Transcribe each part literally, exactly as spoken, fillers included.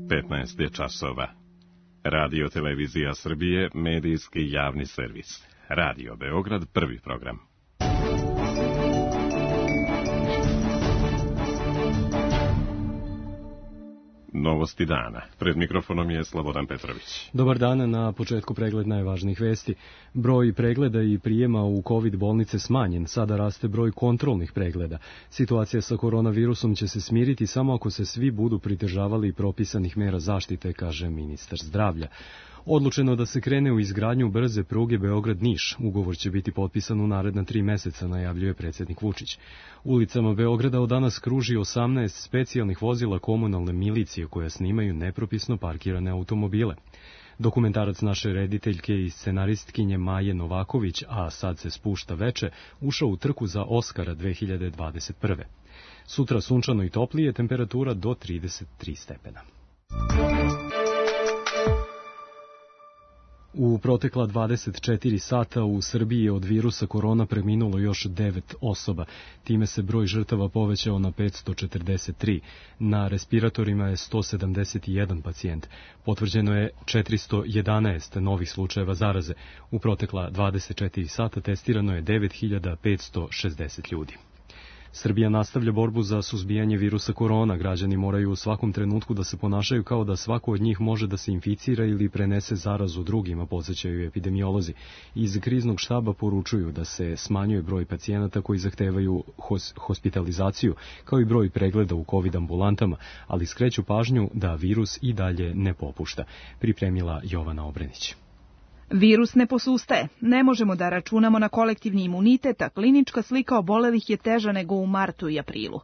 petnaest je časova. Radio Televizija Srbije, medijski javni servis. Radio Beograd, prvi program. Novosti dana. Pred mikrofonom je Slobodan Petrović. Dobar dan, na početku pregled najvažnijih vesti. Broj pregleda i prijema u COVID bolnice smanjen, sada raste broj kontrolnih pregleda. Situacija sa koronavirusom će se smiriti samo ako se svi budu pridržavali propisanih mera zaštite, kaže ministar zdravlja. Odlučeno da se krene u izgradnju brze pruge Beograd-Niš. Ugovor će biti potpisan u naredna tri meseca, najavljuje predsjednik Vučić. Ulicama Beograda od danas kruži osamnaest specijalnih vozila komunalne milicije koja snimaju nepropisno parkirane automobile. Dokumentarac naše rediteljke i scenaristkinje Maje Novaković, a sad se spušta veče, ušao u trku za Oskara dve hiljade dvadeset prve. Sutra sunčano i toplije, temperatura do trideset tri stepena. U protekla dvadeset četiri sata u Srbiji je od virusa korona preminulo još devet osoba. Time se broj žrtava povećao na petsto četrdeset tri. Na respiratorima je sto sedamdeset jedan pacijent. Potvrđeno je četiristo jedanaest novih slučajeva zaraze. U protekla dvadeset četiri sata testirano je devet hiljada petsto šezdeset ljudi. Srbija nastavlja borbu za suzbijanje virusa korona. Građani moraju u svakom trenutku da se ponašaju kao da svako od njih može da se inficira ili prenese zarazu drugima, podsjećaju epidemiolozi. Iz kriznog štaba poručuju da se smanjuje broj pacijenata koji zahtevaju hos, hospitalizaciju, kao i broj pregleda u COVID ambulantama, ali skreću pažnju da virus i dalje ne popušta. Pripremila Jovana Obrenić. Virus ne posustaje. Ne možemo da računamo na kolektivni imunitet, a klinička slika obolelih je teža nego u martu i aprilu.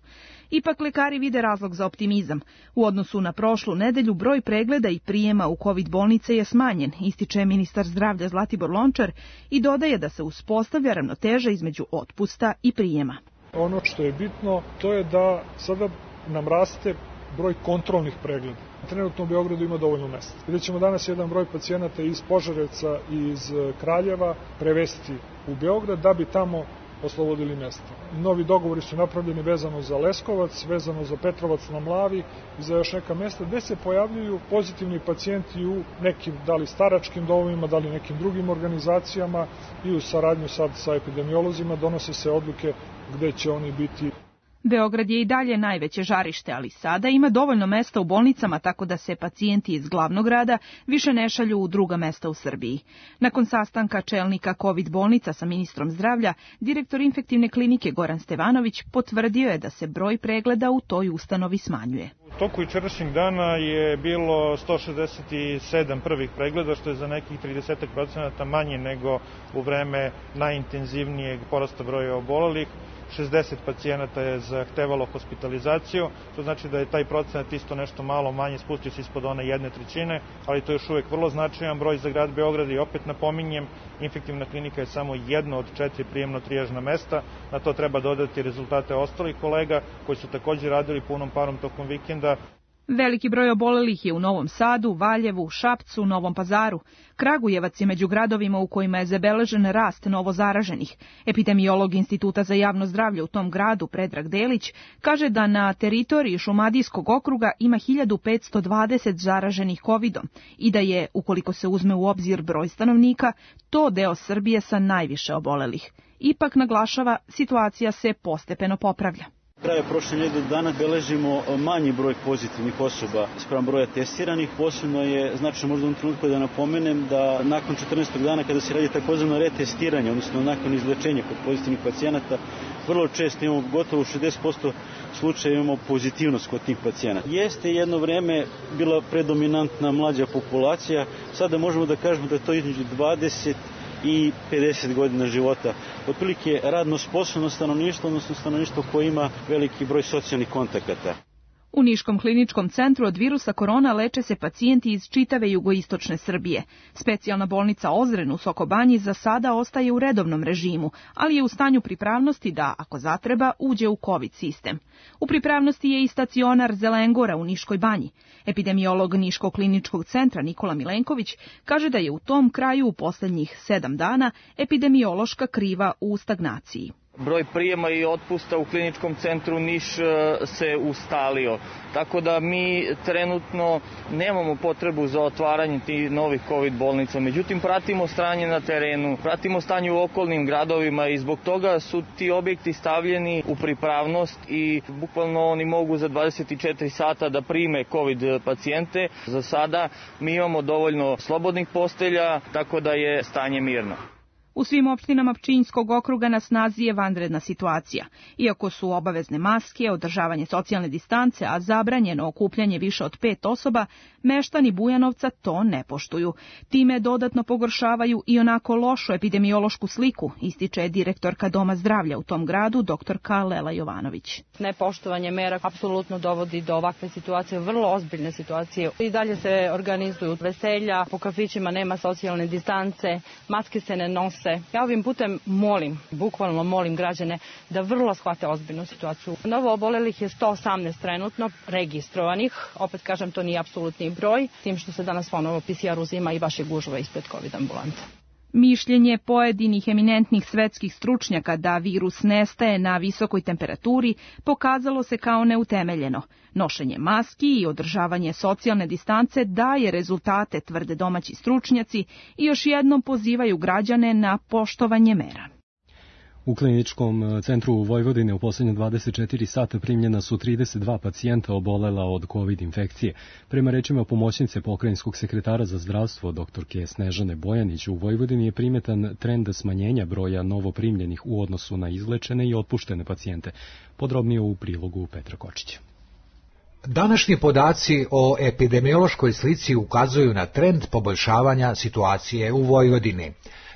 Ipak lekari vide razlog za optimizam. U odnosu na prošlu nedelju broj pregleda i prijema u COVID bolnice je smanjen, ističe ministar zdravlja Zlatibor Lončar i dodaje da se uspostavlja ravnoteža između otpusta i prijema. Ono što je bitno, to je da sada nam raste broj kontrolnih pregleda. Trenutno u Beogradu ima dovoljno mesta. Vidjet ćemo danas jedan broj pacijenata iz Požarevca i iz Kraljeva prevesti u Beograd da bi tamo oslobodili mesta. Novi dogovori su napravljeni vezano za Leskovac, vezano za Petrovac na Mlavi i za još neka mesta gde se pojavljuju pozitivni pacijenti u nekim, da li staračkim domovima, da li nekim drugim organizacijama i u saradnju sad sa epidemiolozima donose se odluke gde će oni biti. Beograd je i dalje najveće žarište, ali sada ima dovoljno mesta u bolnicama tako da se pacijenti iz glavnog grada više ne šalju u druga mesta u Srbiji. Nakon sastanka čelnika COVID bolnica sa ministrom zdravlja, direktor infektivne klinike Goran Stevanović potvrdio je da se broj pregleda u toj ustanovi smanjuje. U toku jučerašnjeg dana je bilo sto šezdeset sedam prvih pregleda, što je za nekih trideset procenata manje nego u vreme najintenzivnijeg porasta broja obolelih. šezdeset pacijenata je zahtevalo hospitalizaciju, to znači da je taj procenat isto nešto malo manje, spustio se ispod one jedne trećine, ali to je još uvijek vrlo značajan broj za grad Beograd i opet napominjem, infektivna klinika je samo jedno od četiri prijemno-trijažna mesta, na to treba dodati rezultate ostalih kolega koji su također radili punom parom tokom vikenda. Veliki broj obolelih je u Novom Sadu, Valjevu, Šapcu, Novom Pazaru. Kragujevac je među gradovima u kojima je zabeležen rast novozaraženih. Epidemiolog Instituta za javno zdravlje u tom gradu, Predrag Delić, kaže da na teritoriji Šumadijskog okruga ima hiljadu petsto dvadeset zaraženih kovidom i da je, ukoliko se uzme u obzir broj stanovnika, to deo Srbije sa najviše obolelih. Ipak, naglašava, situacija se postepeno popravlja. Kraja prošle nedelje dana beležimo manji broj pozitivnih osoba spram broja testiranih. Posebno je značajno možda u trenutku da napomenem da nakon četrnaestog dana kada se radi takozvano retestiranje, odnosno nakon izlečenja kod pozitivnih pacijenata, vrlo često imamo gotovo šezdeset posto slučaja imamo pozitivnost kod tih pacijenata. Jeste jedno vreme bila predominantna mlađa populacija, sada možemo da kažemo da je to između dvadeset i pedeset godina života. Otprilike radno sposobno stanovništvo, odnosno stanovništvo koje ima veliki broj socijalnih kontakata. U Niškom kliničkom centru od virusa korona leče se pacijenti iz čitave jugoistočne Srbije. Specijalna bolnica Ozren u Sokobanji za sada ostaje u redovnom režimu, ali je u stanju pripravnosti da, ako zatreba, uđe u COVID sistem. U pripravnosti je i stacionar Zelengora u Niškoj banji. Epidemiolog Niškog kliničkog centra Nikola Milenković kaže da je u tom kraju u posljednjih sedam dana epidemiološka kriva u stagnaciji. Broj prijema i otpusta u kliničkom centru Niš se ustalio, tako da mi trenutno nemamo potrebu za otvaranje tih novih COVID bolnica. Međutim, pratimo stanje na terenu, pratimo stanje u okolnim gradovima i zbog toga su ti objekti stavljeni u pripravnost i bukvalno oni mogu za dvadeset četiri sata da prime COVID pacijente. Za sada mi imamo dovoljno slobodnih postelja, tako da je stanje mirno. U svim opštinama Pčinjskog okruga na snazi je vanredna situacija. Iako su obavezne maske, održavanje socijalne distance, a zabranjeno okupljanje više od pet osoba, meštani Bujanovca to ne poštuju. Time dodatno pogoršavaju i onako lošu epidemiološku sliku, ističe direktorka Doma zdravlja u tom gradu, doktorka Lela Jovanović. Nepoštovanje mera apsolutno dovodi do ovakve situacije, vrlo ozbiljne situacije. I dalje se organizuju veselja, po kafićima nema socijalne distance, maske se ne nose. Ja ovim putem molim, bukvalno molim građane da vrlo shvate ozbiljnu situaciju. Novo obolelih je sto osamnaest trenutno registrovanih, opet kažem to nije apsolutni broj, tim što se danas ponovo P C R uzima i vaše gužve ispred COVID ambulante. Mišljenje pojedinih eminentnih svetskih stručnjaka da virus nestaje na visokoj temperaturi pokazalo se kao neutemeljeno. Nošenje maski i održavanje socijalne distance daje rezultate, tvrde domaći stručnjaci i još jednom pozivaju građane na poštovanje mera. U kliničkom centru u Vojvodine u posljednje dvadeset četiri sata primljena su trideset dva pacijenta obolela od COVID infekcije. Prema rečima pomoćnice pokrajinskog sekretara za zdravstvo doktorke Snežane Bojanić, u Vojvodini je primetan trend smanjenja broja novoprimljenih u odnosu na izlečene i otpuštene pacijente. Podrobnije u prilogu Petra Kočića. Današnji podaci o epidemiološkoj slici ukazuju na trend poboljšavanja situacije u Vojvodini,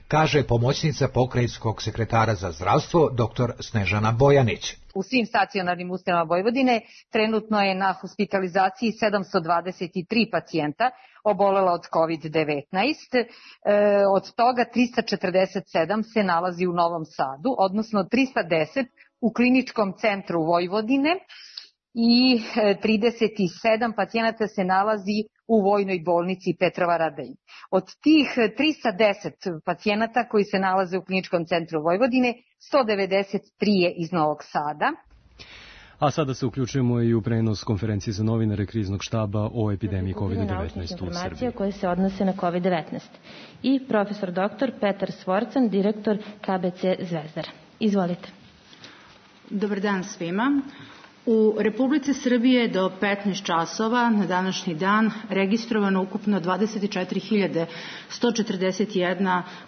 kaže pomoćnica pokrajinskog sekretara za zdravstvo dr. Snežana Bojanić. U svim stacionarnim ustanovama Vojvodine trenutno je na hospitalizaciji sedamsto dvadeset tri pacijenta obolela od COVID devetnaest, e, od toga trista četrdeset sedam se nalazi u Novom Sadu, odnosno trista deset u kliničkom centru Vojvodine i trideset sedam pacijenata se nalazi u Vojnoj bolnici Petrova Radelj. Od tih trista deset pacijenata koji se nalaze u kliničkom centru Vojvodine, sto devedeset tri je iz Novog Sada. A sada se uključujemo i u prenos konferencije za novinare kriznog štaba o epidemiji COVID devetnaest u Srbiji. Koje se odnose na COVID devetnaest. I profesor doktor Petar Svorcan, direktor K B C Zvezdara. Izvolite. Dobar dan svima. U Republici Srbije do petnaest časova na današnji dan registrovano ukupno dvadeset četiri hiljade sto četrdeset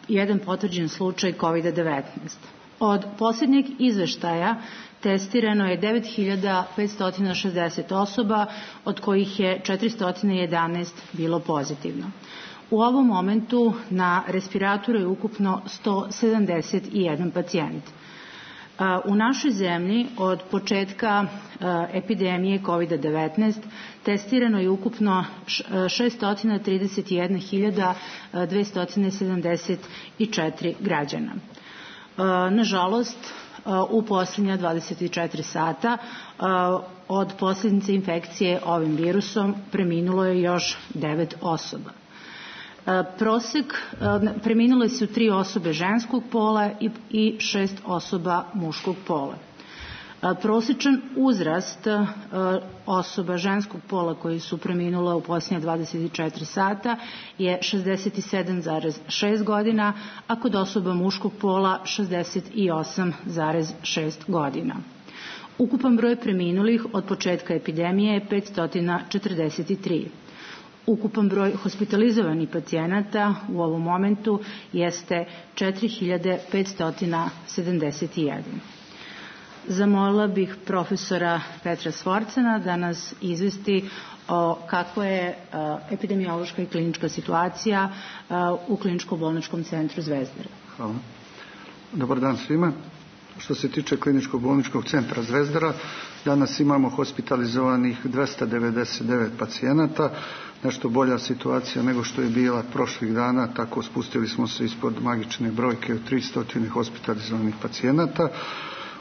jedan potvrđen slučaj COVID devetnaest. Od posljednjeg izveštaja testirano je devet hiljada petsto šezdeset osoba, od kojih je četiristo jedanaest bilo pozitivno. U ovom momentu na respiratoru je ukupno sto sedamdeset jedan pacijent. U našoj zemlji od početka epidemije COVID devetnaest testirano je ukupno šesto trideset jedna hiljada dvesta sedamdeset četiri građana. Nažalost, u posljednja dvadeset četiri sata od posljedice infekcije ovim virusom preminulo je još devet osoba. Prosek, preminule su tri osobe ženskog pola i šest osoba muškog pola. Prosječan uzrast osoba ženskog pola koji su preminule u posljednje dvadeset četiri sata je šezdeset sedam zarez šest godina, a kod osoba muškog pola šezdeset osam zarez šest godina. Ukupan broj preminulih od početka epidemije je petsto četrdeset tri. Ukupan broj hospitalizovanih pacijenata u ovom momentu jeste četiri hiljade petsto sedamdeset jedan. Zamolila bih profesora Petra Svorcana da nas izvesti o kakva je epidemiološka i klinička situacija u kliničko-bolničkom centru Zvezdara. Hvala. Dobar dan svima. Što se tiče kliničkog bolničkog centra Zvezdara, danas imamo hospitalizovanih dvesta devedeset devet pacijenata, nešto bolja situacija nego što je bila prošlih dana, tako spustili smo se ispod magične brojke od tristo hospitalizovanih pacijenata.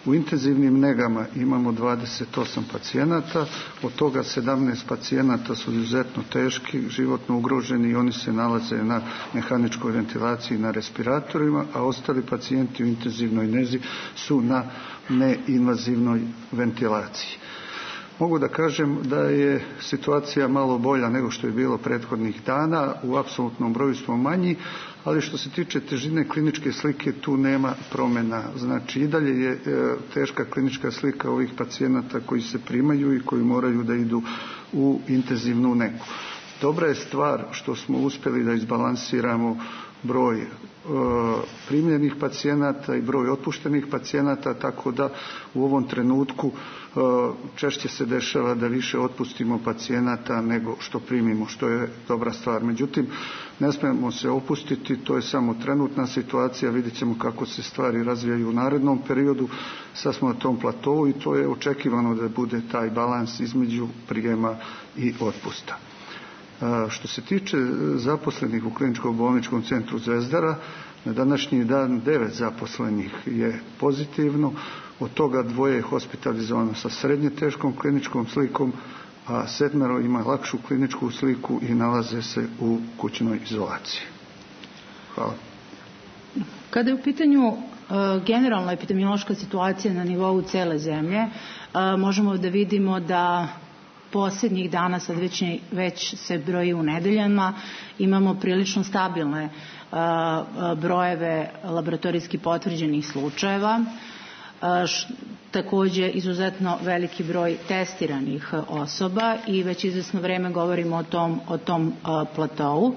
U intenzivnim negama imamo dvadeset osam pacijenata, od toga sedamnaest pacijenata su izuzetno teški, životno ugroženi i oni se nalaze na mehaničkoj ventilaciji na respiratorima, a ostali pacijenti u intenzivnoj nezi su na neinvazivnoj ventilaciji. Mogu da kažem da je situacija malo bolja nego što je bilo prethodnih dana, u apsolutnom broju smo manji, ali što se tiče težine kliničke slike tu nema promjena. Znači i dalje je teška klinička slika ovih pacijenata koji se primaju i koji moraju da idu u intenzivnu negu. Dobra je stvar što smo uspjeli da izbalansiramo broj e, primljenih pacijenata i broj otpuštenih pacijenata, tako da u ovom trenutku e, češće se dešava da više otpustimo pacijenata nego što primimo, što je dobra stvar. Međutim, ne smijemo se opustiti, to je samo trenutna situacija, vidjet ćemo kako se stvari razvijaju u narednom periodu, sad smo na tom platovu i to je očekivano da bude taj balans između prijema i otpusta. Što se tiče zaposlenih u kliničkom bolničkom centru Zvezdara, na današnji dan devet zaposlenih je pozitivno, od toga dvoje je hospitalizovano sa srednje teškom kliničkom slikom, a sedmero ima lakšu kliničku sliku i nalaze se u kućnoj izolaciji. Hvala. Kada je u pitanju generalna epidemiološka situacija na nivou cele zemlje, možemo da vidimo da posljednjih dana, sad već, već se broji u nedeljama, imamo prilično stabilne uh, brojeve laboratorijski potvrđenih slučajeva. Uh, š, također izuzetno veliki broj testiranih osoba i već izvesno vreme govorimo o tom, o tom uh, platovu. Uh,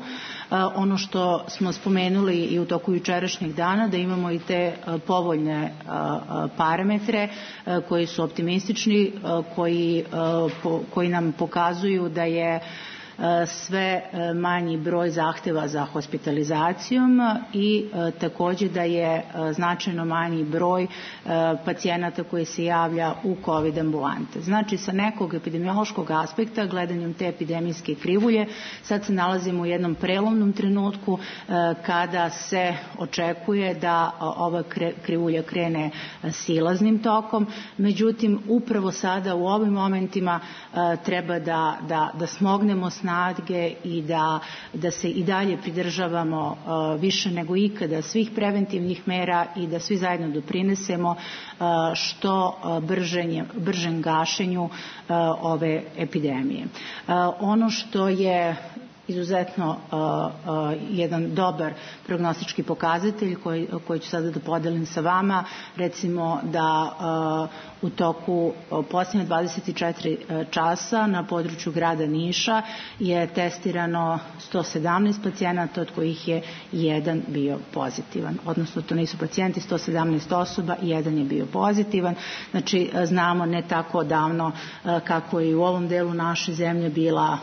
ono što smo spomenuli i u toku jučerašnjeg dana, da imamo i te uh, povoljne uh, uh, parametre uh, koji su optimistični, uh, koji, uh, po, koji nam pokazuju da je sve manji broj zahtjeva za hospitalizacijom i također da je značajno manji broj pacijenata koji se javlja u COVID ambulante. Znači sa nekog epidemiološkog aspekta, gledanjem te epidemijske krivulje, sad se nalazimo u jednom prelomnom trenutku kada se očekuje da ova krivulja krene silaznim tokom, međutim upravo sada u ovim momentima treba da, da, da smognemo snage i da, da se i dalje pridržavamo uh, više nego ikada svih preventivnih mera i da svi zajedno doprinesemo uh, što uh, bržen, bržem gašenju uh, ove epidemije. Uh, ono što je izuzetno uh, uh, jedan dobar prognostički pokazatelj koji, koji ću sada da podelim sa vama, recimo da uh, u toku posljednje dvadeset četiri časa na području grada Niša je testirano sto sedamnaest pacijenata, od kojih je jedan bio pozitivan. Odnosno, to nisu pacijenti, sto sedamnaest osoba i jedan je bio pozitivan. Znači, znamo ne tako davno kako je u ovom delu naše zemlje bila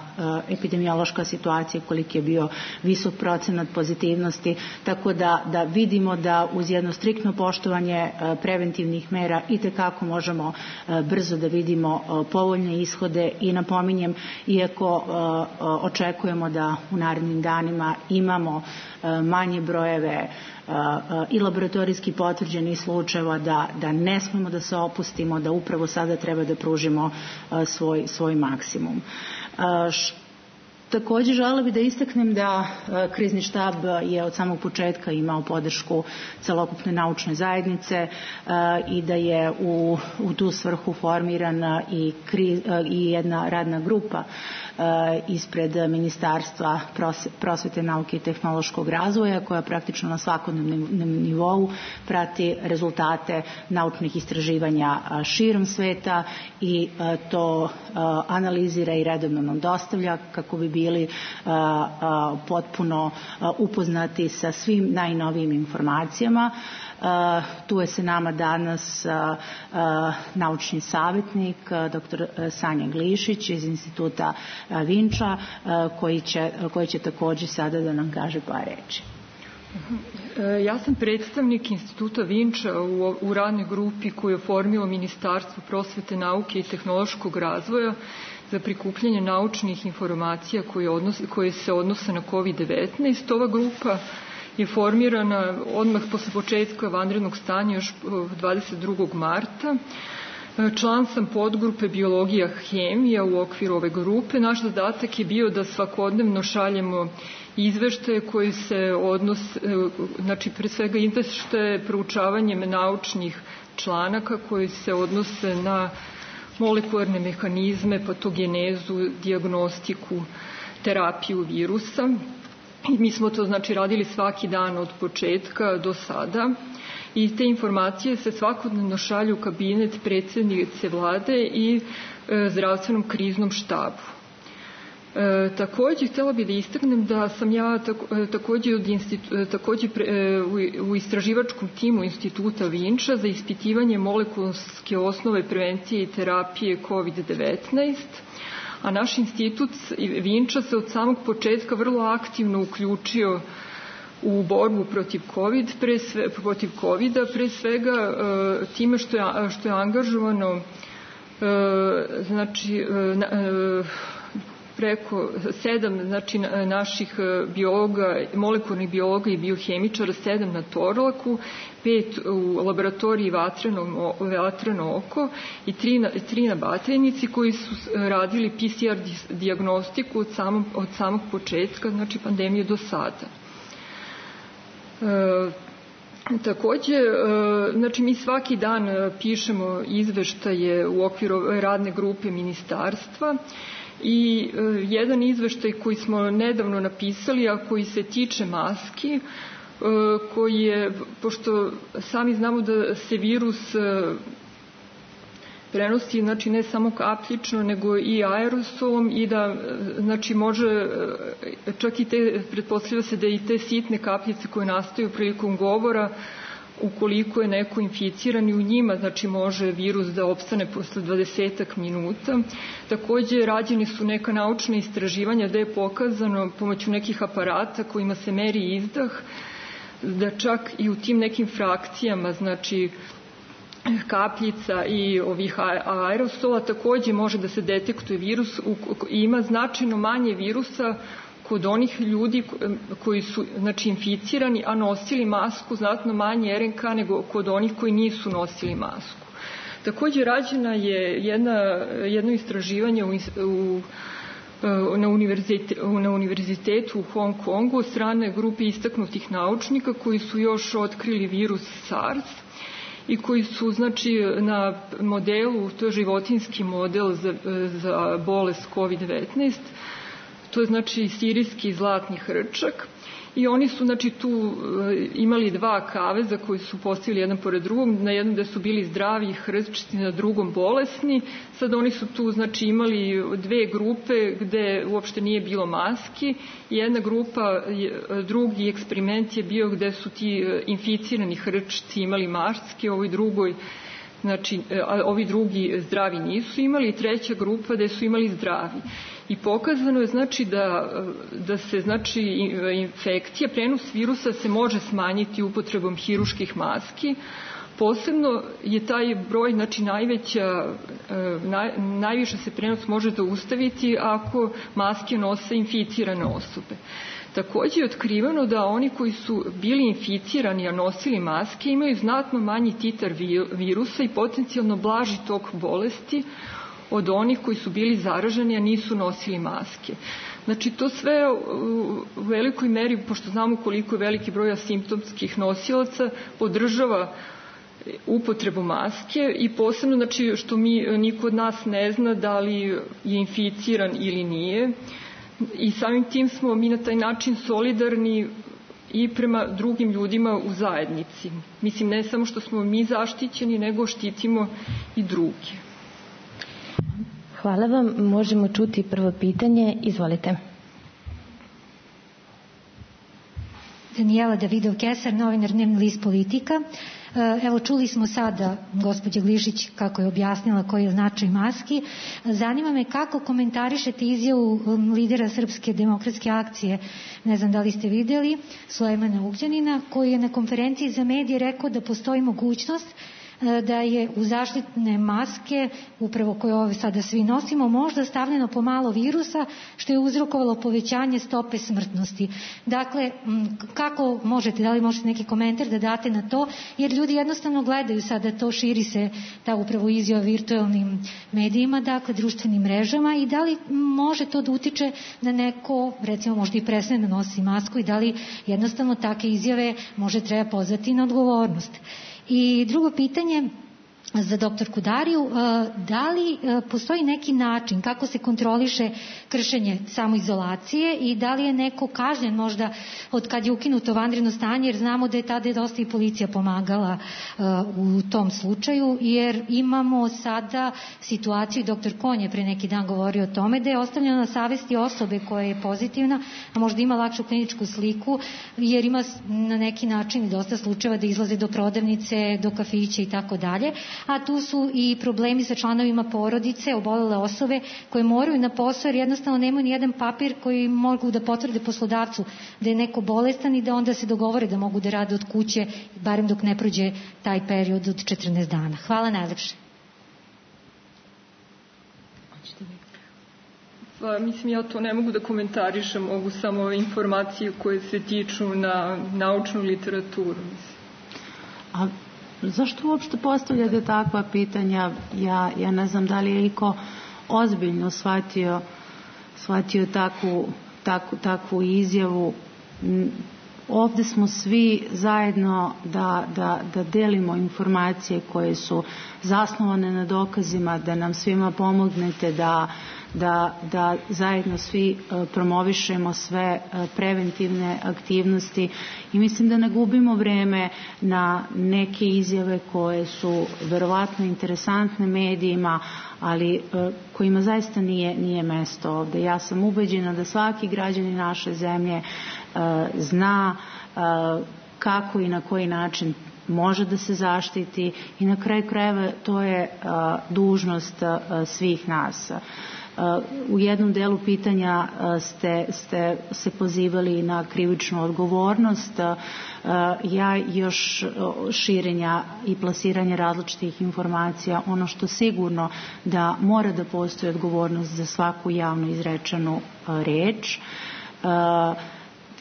epidemiološka situacija, koliki je bio visok procenat pozitivnosti, tako da, da vidimo da uz jedno striktno poštovanje preventivnih mera itekako može možemo brzo da vidimo povoljne ishode i napominjem, iako očekujemo da u narednim danima imamo manje brojeve i laboratorijski potvrđenih slučajeva, da, da ne smemo da se opustimo, da upravo sada treba da pružimo svoj, svoj maksimum. Također želela bih da istaknem da krizni štab je od samog početka imao podršku celokupne naučne zajednice i da je u, u tu svrhu formirana i, kri, i jedna radna grupa ispred Ministarstva prosvete, nauke i tehnološkog razvoja, koja praktično na svakodnevnom nivou prati rezultate naučnih istraživanja širom sveta i to analizira i redovno nam dostavlja kako bi bili potpuno upoznati sa svim najnovijim informacijama. Uh, tu je sa nama danas uh, uh, naučni savjetnik uh, doktor Sanja Glišić iz instituta uh, Vinča uh, koji, će, uh, koji će također sada da nam kaže par reči. Ja sam predstavnik instituta Vinča u, u radnoj grupi koju je formilo Ministarstvo prosvete, nauke i tehnološkog razvoja za prikupljanje naučnih informacija koje, odnos, koje se odnose na kovid devetnaest. Ova grupa je formirana odmah posle početka vanrednog stanja još dvadeset drugog marta. Član sam podgrupe biologija hemija u okviru ove grupe. Naš zadatak je bio da svakodnevno šaljemo izveštaje koji se odnose, znači pre svega izveštaje proučavanjem naučnih članaka koji se odnose na molekularne mehanizme, patogenezu, dijagnostiku, terapiju virusa. I mi smo to znači radili svaki dan od početka do sada. I te informacije se svakodnevno šalju u kabinet predsjednice vlade i e, zdravstvenom kriznom štabu. E, takođe, htjela bih da istaknem da sam ja tako, e, takođe, od institu, e, takođe pre, e, u, u istraživačkom timu Instituta Vinča za ispitivanje molekularske osnove prevencije i terapije kovid devetnaest, a naš institut Vinča se od samog početka vrlo aktivno uključio u borbu protiv COVID, pre sve, protiv kovida, pre svega e, time što je, što je angažovano e, znači e, preko sedam znači, naših biologa, molekularnih biologa i biohemičara, sedam na Torlaku, pet u laboratoriji Vatreno, Vatreno oko i tri na, tri na Batajnici koji su radili P C R dijagnostiku od samog, od samog početka, znači pandemije do sada. E, takođe, e, znači mi svaki dan pišemo izveštaje u okviru radne grupe ministarstva i e, jedan izveštaj koji smo nedavno napisali, a koji se tiče maski, e, koji je, pošto sami znamo da se virus e, prenosi, znači ne samo kapljično, nego i aerosolom i da, znači može, čak i te, pretpostavlja se da i te sitne kapljice koje nastaju prilikom govora, ukoliko je neko inficiran i u njima, znači može virus da opstane posle dvadesetak minuta. Takođe, rađeni su neka naučna istraživanja da je pokazano pomoću nekih aparata kojima se meri izdah, da čak i u tim nekim frakcijama, znači kapljica i ovih aerosola takođe može da se detektuje virus i ima značajno manje virusa kod onih ljudi koji su znači, inficirani, a nosili masku, znatno manje R N K nego kod onih koji nisu nosili masku. Takođe rađena je jedna, jedno istraživanje u, u, na, univerzite, na univerzitetu u Hong Kongu od strane grupe istaknutih naučnika koji su još otkrili virus SARS i koji su znači na modelu, to je životinjski model za, za bolest kovid devetnaest, to je znači sirijski zlatni hrčak i oni su znači tu imali dva kaveza koji su postavili jedan pored drugog, na jednom gde su bili zdravi hrčci, na drugom bolesni. Sad oni su tu znači imali dve grupe gde uopšte nije bilo maski. Jedna grupa, drugi eksperiment je bio gde su ti inficirani hrčci imali maske, ovoj drugoj znači, a ovi drugi zdravi nisu imali, i treća grupa gde su imali zdravi. I pokazano je znači da, da se znači infekcija, prenos virusa se može smanjiti upotrebom hiruških maski. Posebno je taj broj, znači najveća, naj, najviše se prenos može zaustaviti ako maske nose inficirane osobe. Takođe je otkriveno da oni koji su bili inficirani, a nosili maske, imaju znatno manji titar virusa i potencijalno blaži tok bolesti od onih koji su bili zaraženi, a nisu nosili maske. Znači, to sve u velikoj meri, pošto znamo koliko je veliki broj asimptomskih nosilaca, podržava upotrebu maske i posebno, znači, što mi, niko od nas ne zna da li je inficiran ili nije. I samim tim smo mi na taj način solidarni i prema drugim ljudima u zajednici. Mislim, ne samo što smo mi zaštićeni, nego štitimo i druge. Hvala vam. Možemo čuti prvo pitanje. Izvolite. Danijela Davidov-Kesar, novinar Dnevni list Politika. Evo, čuli smo sada gospođa Glišić kako je objasnila koji je značaj maski. Zanima me kako komentarišete izjavu lidera Srpske demokratske akcije, ne znam da li ste videli, Sulejmana Ugljanina, koji je na konferenciji za medije rekao da postoji mogućnost da je u zaštitne maske, upravo koje ove sada svi nosimo, možda stavljeno pomalo virusa, što je uzrokovalo povećanje stope smrtnosti. Dakle, kako možete, da li možete neki komentar da date na to, jer ljudi jednostavno gledaju sada to, širi se ta upravo izjava virtualnim medijima, dakle društvenim mrežama, i da li može to da utiče na neko, recimo možda i prestane da nosi masku, i da li jednostavno take izjave može treba pozvati na odgovornost. I drugo pitanje za doktorku Dariju, da li postoji neki način kako se kontroliše kršenje samoizolacije i da li je neko kažnjen možda od kad je ukinuto vanredno stanje, jer znamo da je tada dosta i policija pomagala u tom slučaju, jer imamo sada situaciju, doktor Konj je pre neki dan govorio o tome, da je ostavljeno na savesti osobe koja je pozitivna, a možda ima lakšu kliničku sliku, jer ima na neki način i dosta slučajeva da izlaze do prodavnice, do kafića i tako dalje, a tu su i problemi sa članovima porodice, obolele osobe koje moraju na posao jer jednostavno nemaju ni jedan papir koji mogu da potvrde poslodavcu da je neko bolestan i da onda se dogovore da mogu da rade od kuće, barem dok ne prođe taj period od četrnaest dana. Hvala najlepše. Pa, mislim, ja to ne mogu da komentarišem, mogu samo informacije koje se tiču na naučnu literaturu. A zašto uopšte postavljate takva pitanja? Ja, ja ne znam da li je iko ozbiljno shvatio, shvatio takvu, takvu, takvu izjavu. Ovde smo svi zajedno da, da, da delimo informacije koje su zasnovane na dokazima, da nam svima pomognete da Da, da zajedno svi promovišemo sve preventivne aktivnosti i mislim da ne gubimo vreme na neke izjave koje su verovatno interesantne medijima, ali kojima zaista nije, nije mesto ovde. Ja sam ubeđena da svaki građanin naše zemlje zna kako i na koji način može da se zaštiti i na kraju krajeva to je dužnost svih nas. U jednom delu pitanja ste, ste se pozivali na krivičnu odgovornost. Ja još širenja i plasiranja različitih informacija, ono što sigurno da mora da postoji odgovornost za svaku javno izrečenu reč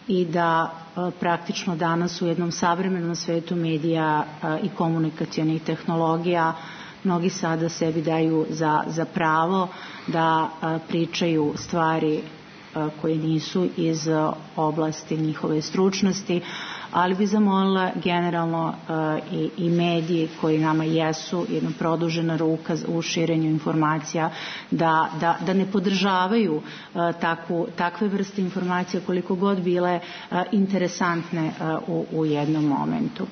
i da praktično danas u jednom savremenom svetu medija i komunikacionih tehnologija mnogi sada sebi daju za, za pravo da a, pričaju stvari a, koje nisu iz a, oblasti njihove stručnosti, ali bi zamolila generalno a, i, i mediji koji nama jesu jedna produžena ruka u širenju informacija da, da, da ne podržavaju a, takvu, takve vrste informacija koliko god bile a, interesantne a, u, u jednom momentu.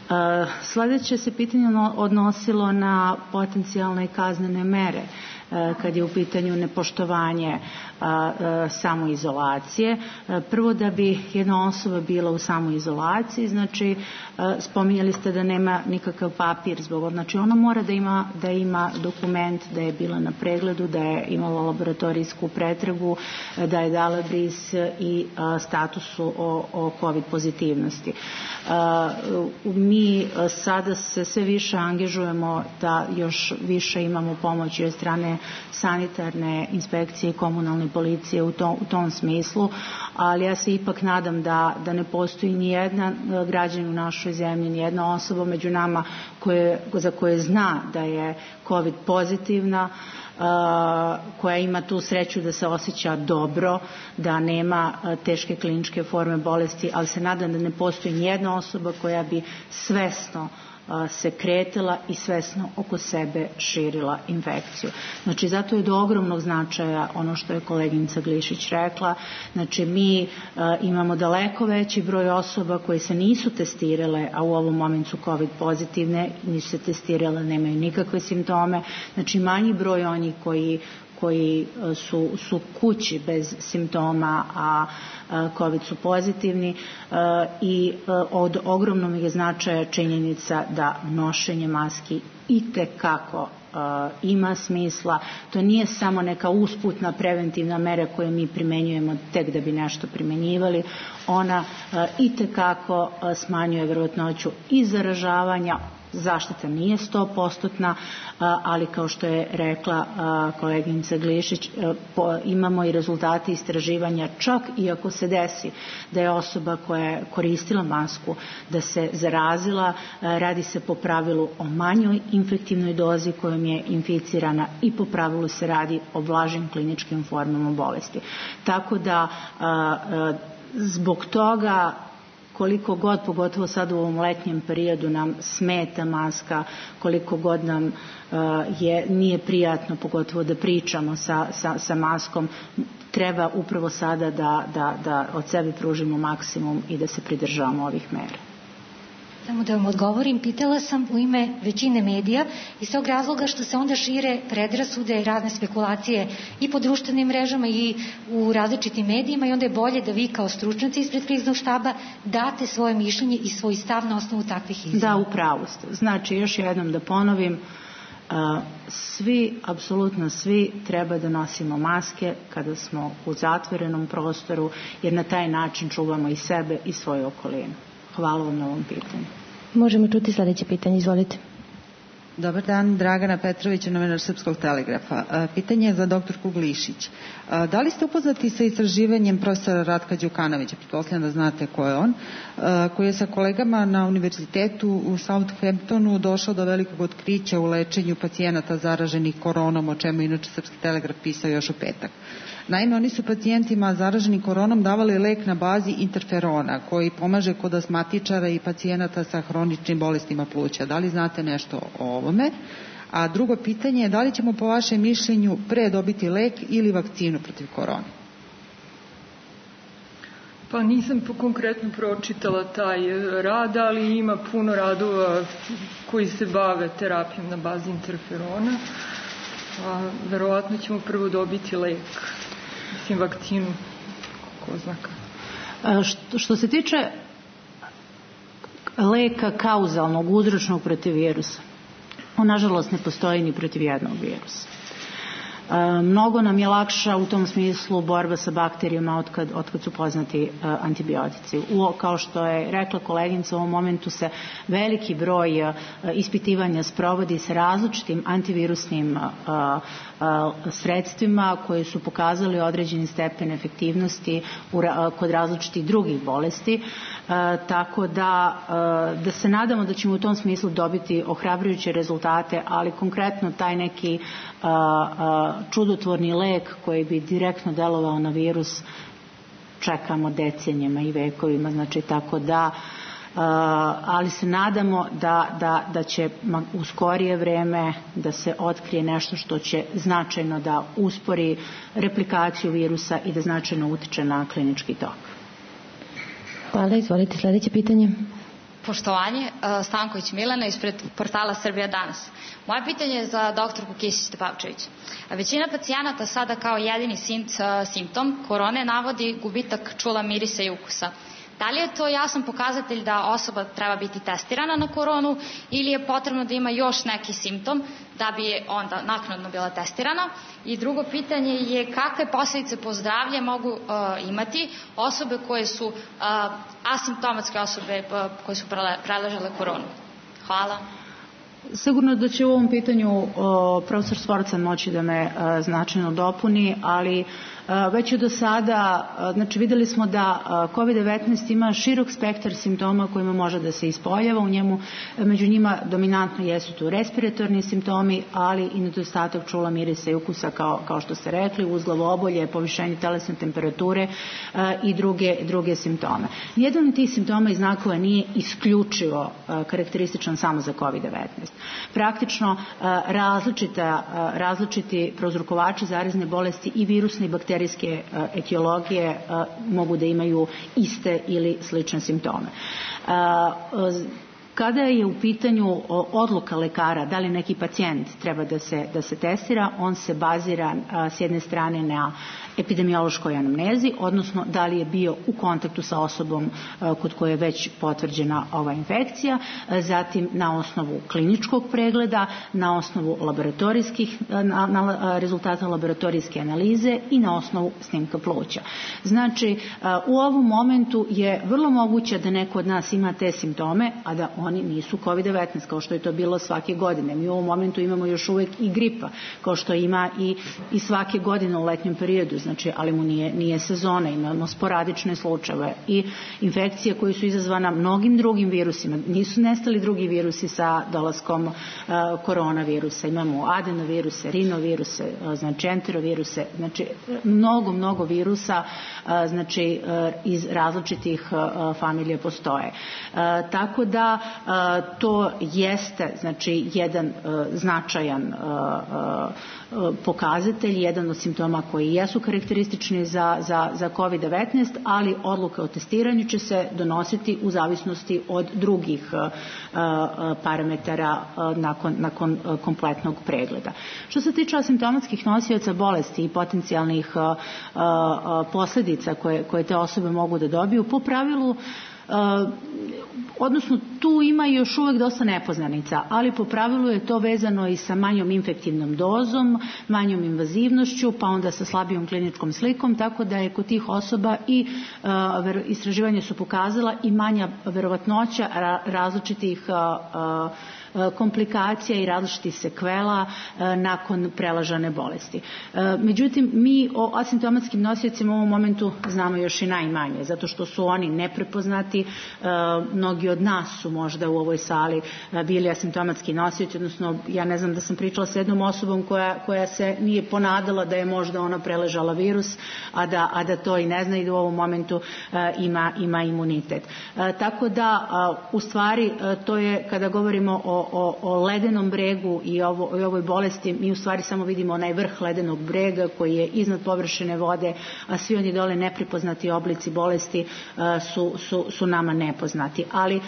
Uh, Sledeće se pitanje odnosilo na potencijalne kaznene mere uh, kad je u pitanju nepoštovanje uh, uh, samoizolacije. Uh, prvo da bi jedna osoba bila u samoizolaciji, znači uh, spominjali ste da nema nikakav papir zbog, znači ona mora da ima, da ima dokument da je bila na pregledu, da je imala laboratorijsku pretragu, da je dala bris i uh, statusu o, o COVID pozitivnosti. Uh, mi sada se sve više angažujemo da još više imamo pomoći od strane sanitarne inspekcije i komunalne policije u tom, u tom smislu, ali ja se ipak nadam da, da ne postoji ni jedna građanin u našoj zemlji, ni jedna osoba među nama koje, za koje zna da je COVID pozitivna, Uh, koja ima tu sreću da se osjeća dobro, da nema uh, teške kliničke forme bolesti, ali se nadam da ne postoji nijedna osoba koja bi svesno se kretala i svesno oko sebe širila infekciju. Znači, zato je do ogromnog značaja ono što je koleginica Glišić rekla. Znači, mi uh, imamo daleko veći broj osoba koje se nisu testirale, a u ovom momentu su COVID pozitivne, nisu se testirale, nemaju nikakve simptome. Znači, manji broj onih koji koji su, su kući bez simptoma, a COVID su pozitivni i od ogromnog je značaja činjenica da nošenje maski itekako ima smisla. To nije samo neka usputna preventivna mera koju mi primenjujemo tek da bi nešto primenjivali. Ona itekako smanjuje verovatnoću i zaražavanja, Zaštita nije sto posto, ali kao što je rekla koleginica Glišić, imamo i rezultate istraživanja, čak i ako se desi da je osoba koja je koristila masku da se zarazila, radi se po pravilu o manjoj infektivnoj dozi kojom je inficirana i po pravilu se radi o blažim kliničkim formama bolesti. Tako da zbog toga koliko god, pogotovo sad u ovom letnjem periodu, nam smeta maska, koliko god nam uh, je, nije prijatno, pogotovo da pričamo sa, sa, sa maskom, treba upravo sada da, da, da od sebe pružimo maksimum i da se pridržavamo ovih mera. Samo da vam odgovorim, pitala sam u ime većine medija iz tog razloga što se onda šire predrasude i razne spekulacije i po društvenim mrežama i u različitim medijima i onda je bolje da vi kao stručnjaci ispred kriznog štaba date svoje mišljenje i svoj stav na osnovu takvih izjava. Da, upravo ste. Znači, još jednom da ponovim, svi, apsolutno svi treba da nosimo maske kada smo u zatvorenom prostoru, jer na taj način čuvamo i sebe i svoju okolinu. Hvala vam na ovom pitanju. Možemo čuti sljedeće pitanje, izvolite. Dobar dan, Dragana Petrović, novinar Srpskog telegrafa. Pitanje je za doktorku Glišić. Da li ste upoznati sa istraživanjem profesora Ratka Đukanovića, pretpostavljam da znate ko je on, koji je sa kolegama na univerzitetu u Southamptonu došao do velikog otkrića u lečenju pacijenata zaraženih koronom, o čemu inače Srpski telegraf pisao još u petak. Naime, oni su pacijentima zaraženim koronom davali lek na bazi interferona koji pomaže kod astmatičara i pacijenata sa hroničnim bolestima pluća. Da li znate nešto o ovome? A drugo pitanje je da li ćemo po vašem mišljenju pre dobiti lek ili vakcinu protiv korone? Pa nisam konkretno pročitala taj rad, ali ima puno radova koji se bave terapijom na bazi interferona. A verovatno ćemo prvo dobiti lek. Mislim, vakcinu, ko znaka. Što, što se tiče leka kauzalnog, uzročnog protiv virusa, on nažalost ne postoji ni protiv jednog virusa. Mnogo nam je lakša u tom smislu borba sa bakterijama otkad, otkad su poznati uh, antibiotici. U, kao što je rekla koleginica, u ovom momentu se veliki broj uh, ispitivanja sprovodi sa različitim antivirusnim uh, uh, sredstvima koje su pokazali određeni stepen efektivnosti u, uh, kod različitih drugih bolesti. Uh, tako da, uh, da se nadamo da ćemo u tom smislu dobiti ohrabrujuće rezultate, ali konkretno taj neki uh, uh, čudotvorni lek koji bi direktno delovao na virus čekamo decenijama i vekovima, znači tako da uh, ali se nadamo da, da, da će u skorije vreme da se otkrije nešto što će značajno da uspori replikaciju virusa i da značajno utiče na klinički tok. Hvala, izvolite sljedeće pitanje. Poštovanje, Stanković Milena ispred portala Srbija danas. Moje pitanje je za doktorku Kisić-Tepavčević. Većina pacijenata sada kao jedini simptom korone navodi gubitak čula, mirisa i ukusa. Da li je to jasan pokazatelj da osoba treba biti testirana na koronu ili je potrebno da ima još neki simptom da bi je onda naknadno bila testirana? I drugo pitanje je kakve posljedice po zdravlje mogu uh, imati osobe koje su uh, asimptomatske osobe uh, koje su preležale koronu? Hvala. Sigurno da će u ovom pitanju uh, profesor Svorcan moći da me uh, značajno dopuni, ali već do sada, znači videli smo da kovid devetnaest ima širok spektar simptoma kojima može da se ispoljava, u njemu, među njima dominantno jesu tu respiratorni simptomi, ali i nedostatak čula, mirisa i ukusa kao, kao što ste rekli, uz glavobolje, povišenje telesne temperature i druge, druge simptome. Nijedan od tih simptoma i znakova nije isključivo karakterističan samo za kovid devetnaest. Praktično različita, različiti prouzrokovači zarazne bolesti i virusne i bakterijske etiologije mogu da imaju iste ili slične simptome. Kada je u pitanju odluka lekara da li neki pacijent treba da se, da se testira, on se bazira s jedne strane na epidemiološkoj anamnezi, odnosno da li je bio u kontaktu sa osobom kod koje je već potvrđena ova infekcija, zatim na osnovu kliničkog pregleda, na osnovu laboratorijskih, na, na rezultata laboratorijske analize i na osnovu snimka pluća. Znači, u ovom momentu je vrlo moguće da neko od nas ima te simptome, a da oni nisu kovid devetnaest kao što je to bilo svake godine. Mi u ovom momentu imamo još uvek i gripa, kao što ima i, i svake godine u letnjem periodu, znači, ali mu nije, nije sezona, imamo sporadične slučajeve i infekcije koje su izazvana mnogim drugim virusima. Nisu nestali drugi virusi sa dolaskom uh, koronavirusa. Imamo adenoviruse, rinoviruse, uh, znači enteroviruse, znači mnogo, mnogo virusa uh, znači uh, iz različitih uh, familija postoje. Uh, tako da uh, to jeste znači jedan uh, značajan uh, uh, pokazatelj, jedan od simptoma koji jesu karakteristični za, za, za kovid devetnaest, ali odluka o testiranju će se donositi u zavisnosti od drugih uh, parametara uh, nakon, nakon uh, kompletnog pregleda. Što se tiče asimptomatskih nosioca bolesti i potencijalnih uh, uh, posledica koje, koje te osobe mogu da dobiju, po pravilu Uh, odnosno tu ima još uvek dosta nepoznanica, ali po pravilu je to vezano i sa manjom infektivnom dozom, manjom invazivnošću, pa onda sa slabijom kliničkom slikom, tako da je kod tih osoba i uh, istraživanja su pokazala i manja verovatnoća ra- različitih uh, uh, komplikacija i različitih sekvela nakon prelažane bolesti. Međutim, mi o asimptomatskim nosiocima u ovom momentu znamo još i najmanje, zato što su oni neprepoznati. Mnogi od nas su možda u ovoj sali bili asimptomatski nosioci, odnosno ja ne znam da sam pričala sa jednom osobom koja, koja se nije ponadala da je možda ona preležala virus, a da, a da to i ne zna i da u ovom momentu ima, ima imunitet. Tako da, u stvari, to je kada govorimo o O, o ledenom bregu i, ovo, i ovoj bolesti, mi u stvari samo vidimo onaj vrh ledenog brega koji je iznad površine vode, a svi oni dole neprepoznati oblici bolesti uh, su, su, su nama nepoznati. Ali uh,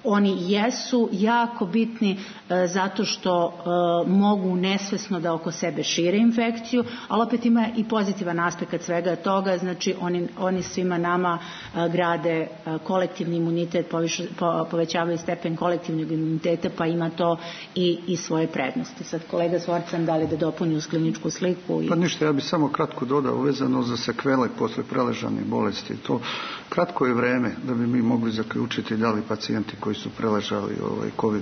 oni jesu jako bitni e, zato što e, mogu nesvesno da oko sebe šire infekciju, ali opet ima i pozitivan aspekt svega toga, znači oni, oni svima nama e, grade e, kolektivni imunitet, poviš, po, povećavaju stepen kolektivnog imuniteta, pa ima to i, i svoje prednosti. Sad kolega Svorcan, da li da dopuni uz kliničku sliku? I... Pa ništa, ja bih samo kratko dodao vezano za sekvele posle preležanih bolesti. To kratko je vreme da bi mi mogli zaključiti da li pacijenti koji su preležali ovaj kovid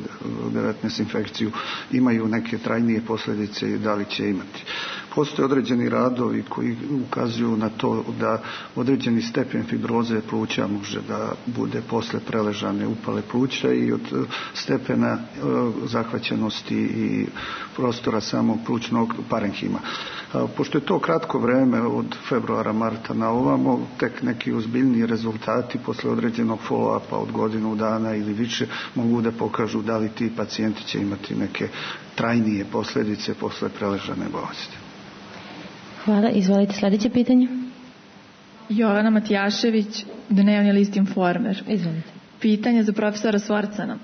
devetnaest infekciju imaju neke trajnije posljedice i da li će imati. Postoje određeni radovi koji ukazuju na to da određeni stepen fibroze pluća može da bude posle preležane upale pluća i od stepena zahvaćenosti i prostora samog plućnog parenhima. Pošto je to kratko vreme od februara, marta na ovamo, tek neki ozbiljniji rezultati posle određenog follow-upa od godinu dana ili više mogu da pokažu da li ti pacijenti će imati neke trajnije posljedice posle preležane bolesti. Hvala. Izvolite sljedeće pitanje. Jovana Matijašević, Dnevni list Informer. Izvolite. Pitanje za profesora Svorcana.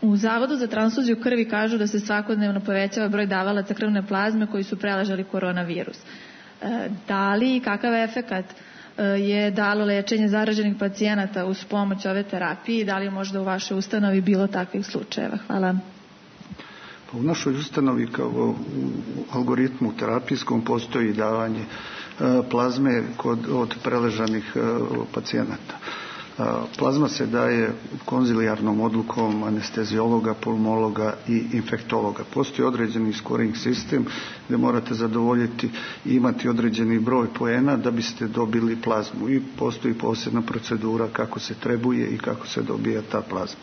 U Zavodu za transfuziju krvi kažu da se svakodnevno povećava broj davalaca krvne plazme koji su preležali koronavirus. E, da li i kakav efekat e, je dalo lečenje zaraženih pacijenata uz pomoć ove terapije i da li je možda u vašoj ustanovi bilo takvih slučajeva? Hvala. U našoj ustanovi kao u algoritmu terapijskom postoji davanje plazme kod, od preležanih pacijenata. Plazma se daje konzilijarnom odlukom anesteziologa, pulmologa i infektologa. Postoji određeni scoring sistem gdje morate zadovoljiti i imati određeni broj poena da biste dobili plazmu i postoji posebna procedura kako se trebuje i kako se dobija ta plazma.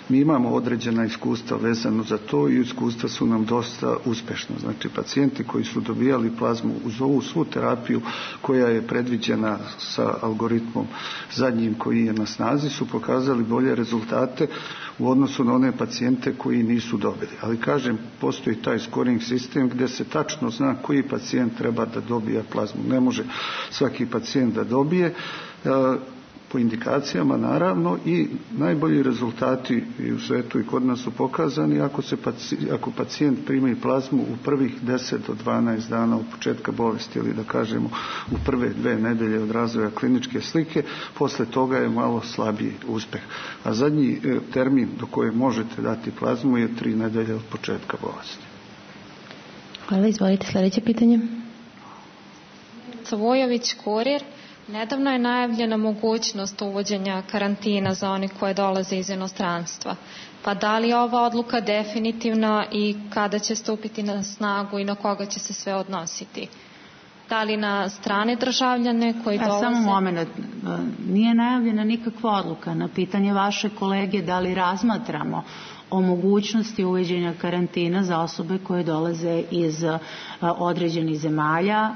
Mi imamo određena iskustva vezano za to i iskustva su nam dosta uspešna. Znači, pacijenti koji su dobijali plazmu uz ovu svu terapiju koja je predviđena sa algoritmom zadnjim koji je na snazi su pokazali bolje rezultate u odnosu na one pacijente koji nisu dobili. Ali kažem, postoji taj scoring sistem gdje se tačno zna koji pacijent treba da dobija plazmu. Ne može svaki pacijent da dobije po indikacijama naravno i najbolji rezultati i u svetu i kod nas su pokazani ako, se pacijent, ako pacijent primi plazmu u prvih deset do dvanaest dana od početka bolesti ili da kažemo u prve dve nedelje od razvoja kliničke slike, posle toga je malo slabiji uspeh. A zadnji termin do koje možete dati plazmu je tri nedelje od početka bolesti. Hvala, izvolite sljedeće pitanje. Cvojović, Kurir. Nedavno je najavljena mogućnost uvođenja karantina za one koje dolaze iz inostranstva. Pa da li je ova odluka definitivna i kada će stupiti na snagu i na koga će se sve odnositi? Da li na strane državljane koji dolaze? Samo moment, nije najavljena nikakva odluka. Na pitanje vaše kolege da li razmatramo o mogućnosti uvođenja karantina za osobe koje dolaze iz određenih zemalja,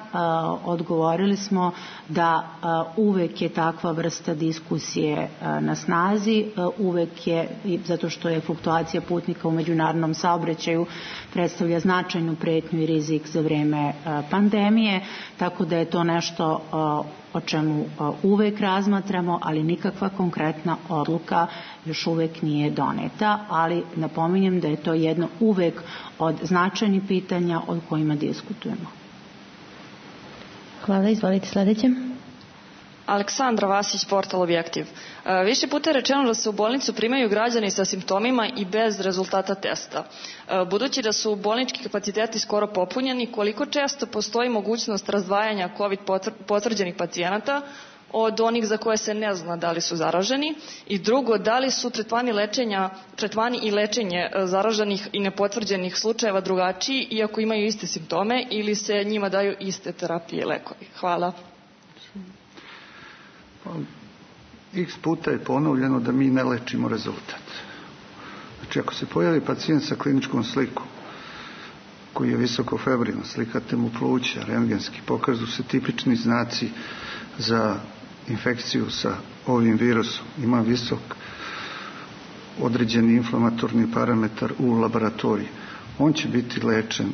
odgovorili smo da uvek je takva vrsta diskusije na snazi, uvek je, zato što je fluktuacija putnika u međunarodnom saobraćaju predstavlja značajnu pretnju i rizik za vreme pandemije, tako da je to nešto o čemu uvek razmatramo, ali nikakva konkretna odluka još uvek nije doneta, ali napominjem da je to jedno uvek od značajnih pitanja o kojima diskutujemo. Hvala, izvolite sledeće. Aleksandra Vasić, portal Objektiv. Više puta je rečeno da se u bolnicu primaju građani sa simptomima i bez rezultata testa. Budući da su bolnički kapaciteti skoro popunjeni, koliko često postoji mogućnost razdvajanja COVID potvrđenih pacijenata od onih za koje se ne zna da li su zaraženi? I drugo, da li su tretmani, lečenja, tretmani i lečenje zaraženih i nepotvrđenih slučajeva drugačiji, iako imaju iste simptome, ili se njima daju iste terapije i lekovi? Hvala. X puta je ponovljeno da mi ne lečimo rezultat. Znači, ako se pojavi pacijent sa kliničkom slikom koji je visoko febrilan, slikate mu pluća, rentgenski, pokažu se tipični znaci za infekciju sa ovim virusom, ima visok određeni inflamatorni parametar u laboratoriji, on će biti lečen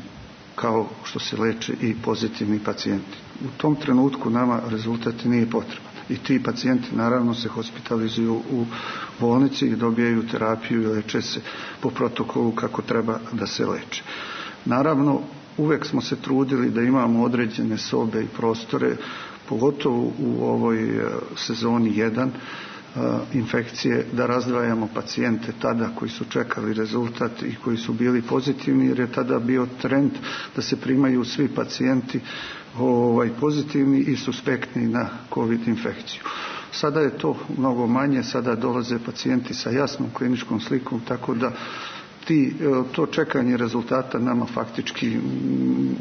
kao što se leče i pozitivni pacijenti. U tom trenutku nama rezultat nije potreban. I ti pacijenti naravno se hospitalizuju u bolnici i dobijaju terapiju i leče se po protokolu kako treba da se leče. Naravno, uvek smo se trudili da imamo određene sobe i prostore, pogotovo u ovoj sezoni jedan infekcije, da razdvajamo pacijente tada koji su čekali rezultat i koji su bili pozitivni, jer je tada bio trend da se primaju svi pacijenti ovaj, pozitivni i suspektni na COVID infekciju. Sada je to mnogo manje, sada dolaze pacijenti sa jasnom kliničkom slikom, tako da ti, to čekanje rezultata nama faktički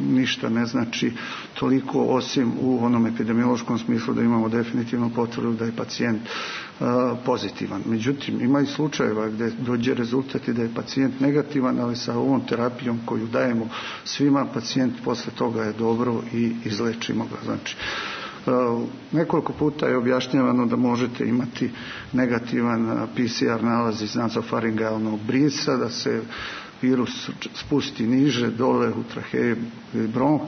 ništa ne znači toliko, osim u onom epidemiološkom smislu da imamo definitivno potvrdu da je pacijent uh, pozitivan. Međutim, ima i slučajeva gdje dođe rezultat i da je pacijent negativan, ali sa ovom terapijom koju dajemo svima, pacijent posle toga je dobro i izlečimo ga. Znači, nekoliko puta je objašnjavano da možete imati negativan P C R nalaz iz nazofaringalnog brisa, da se virus spusti niže, dole u traheju i bronh.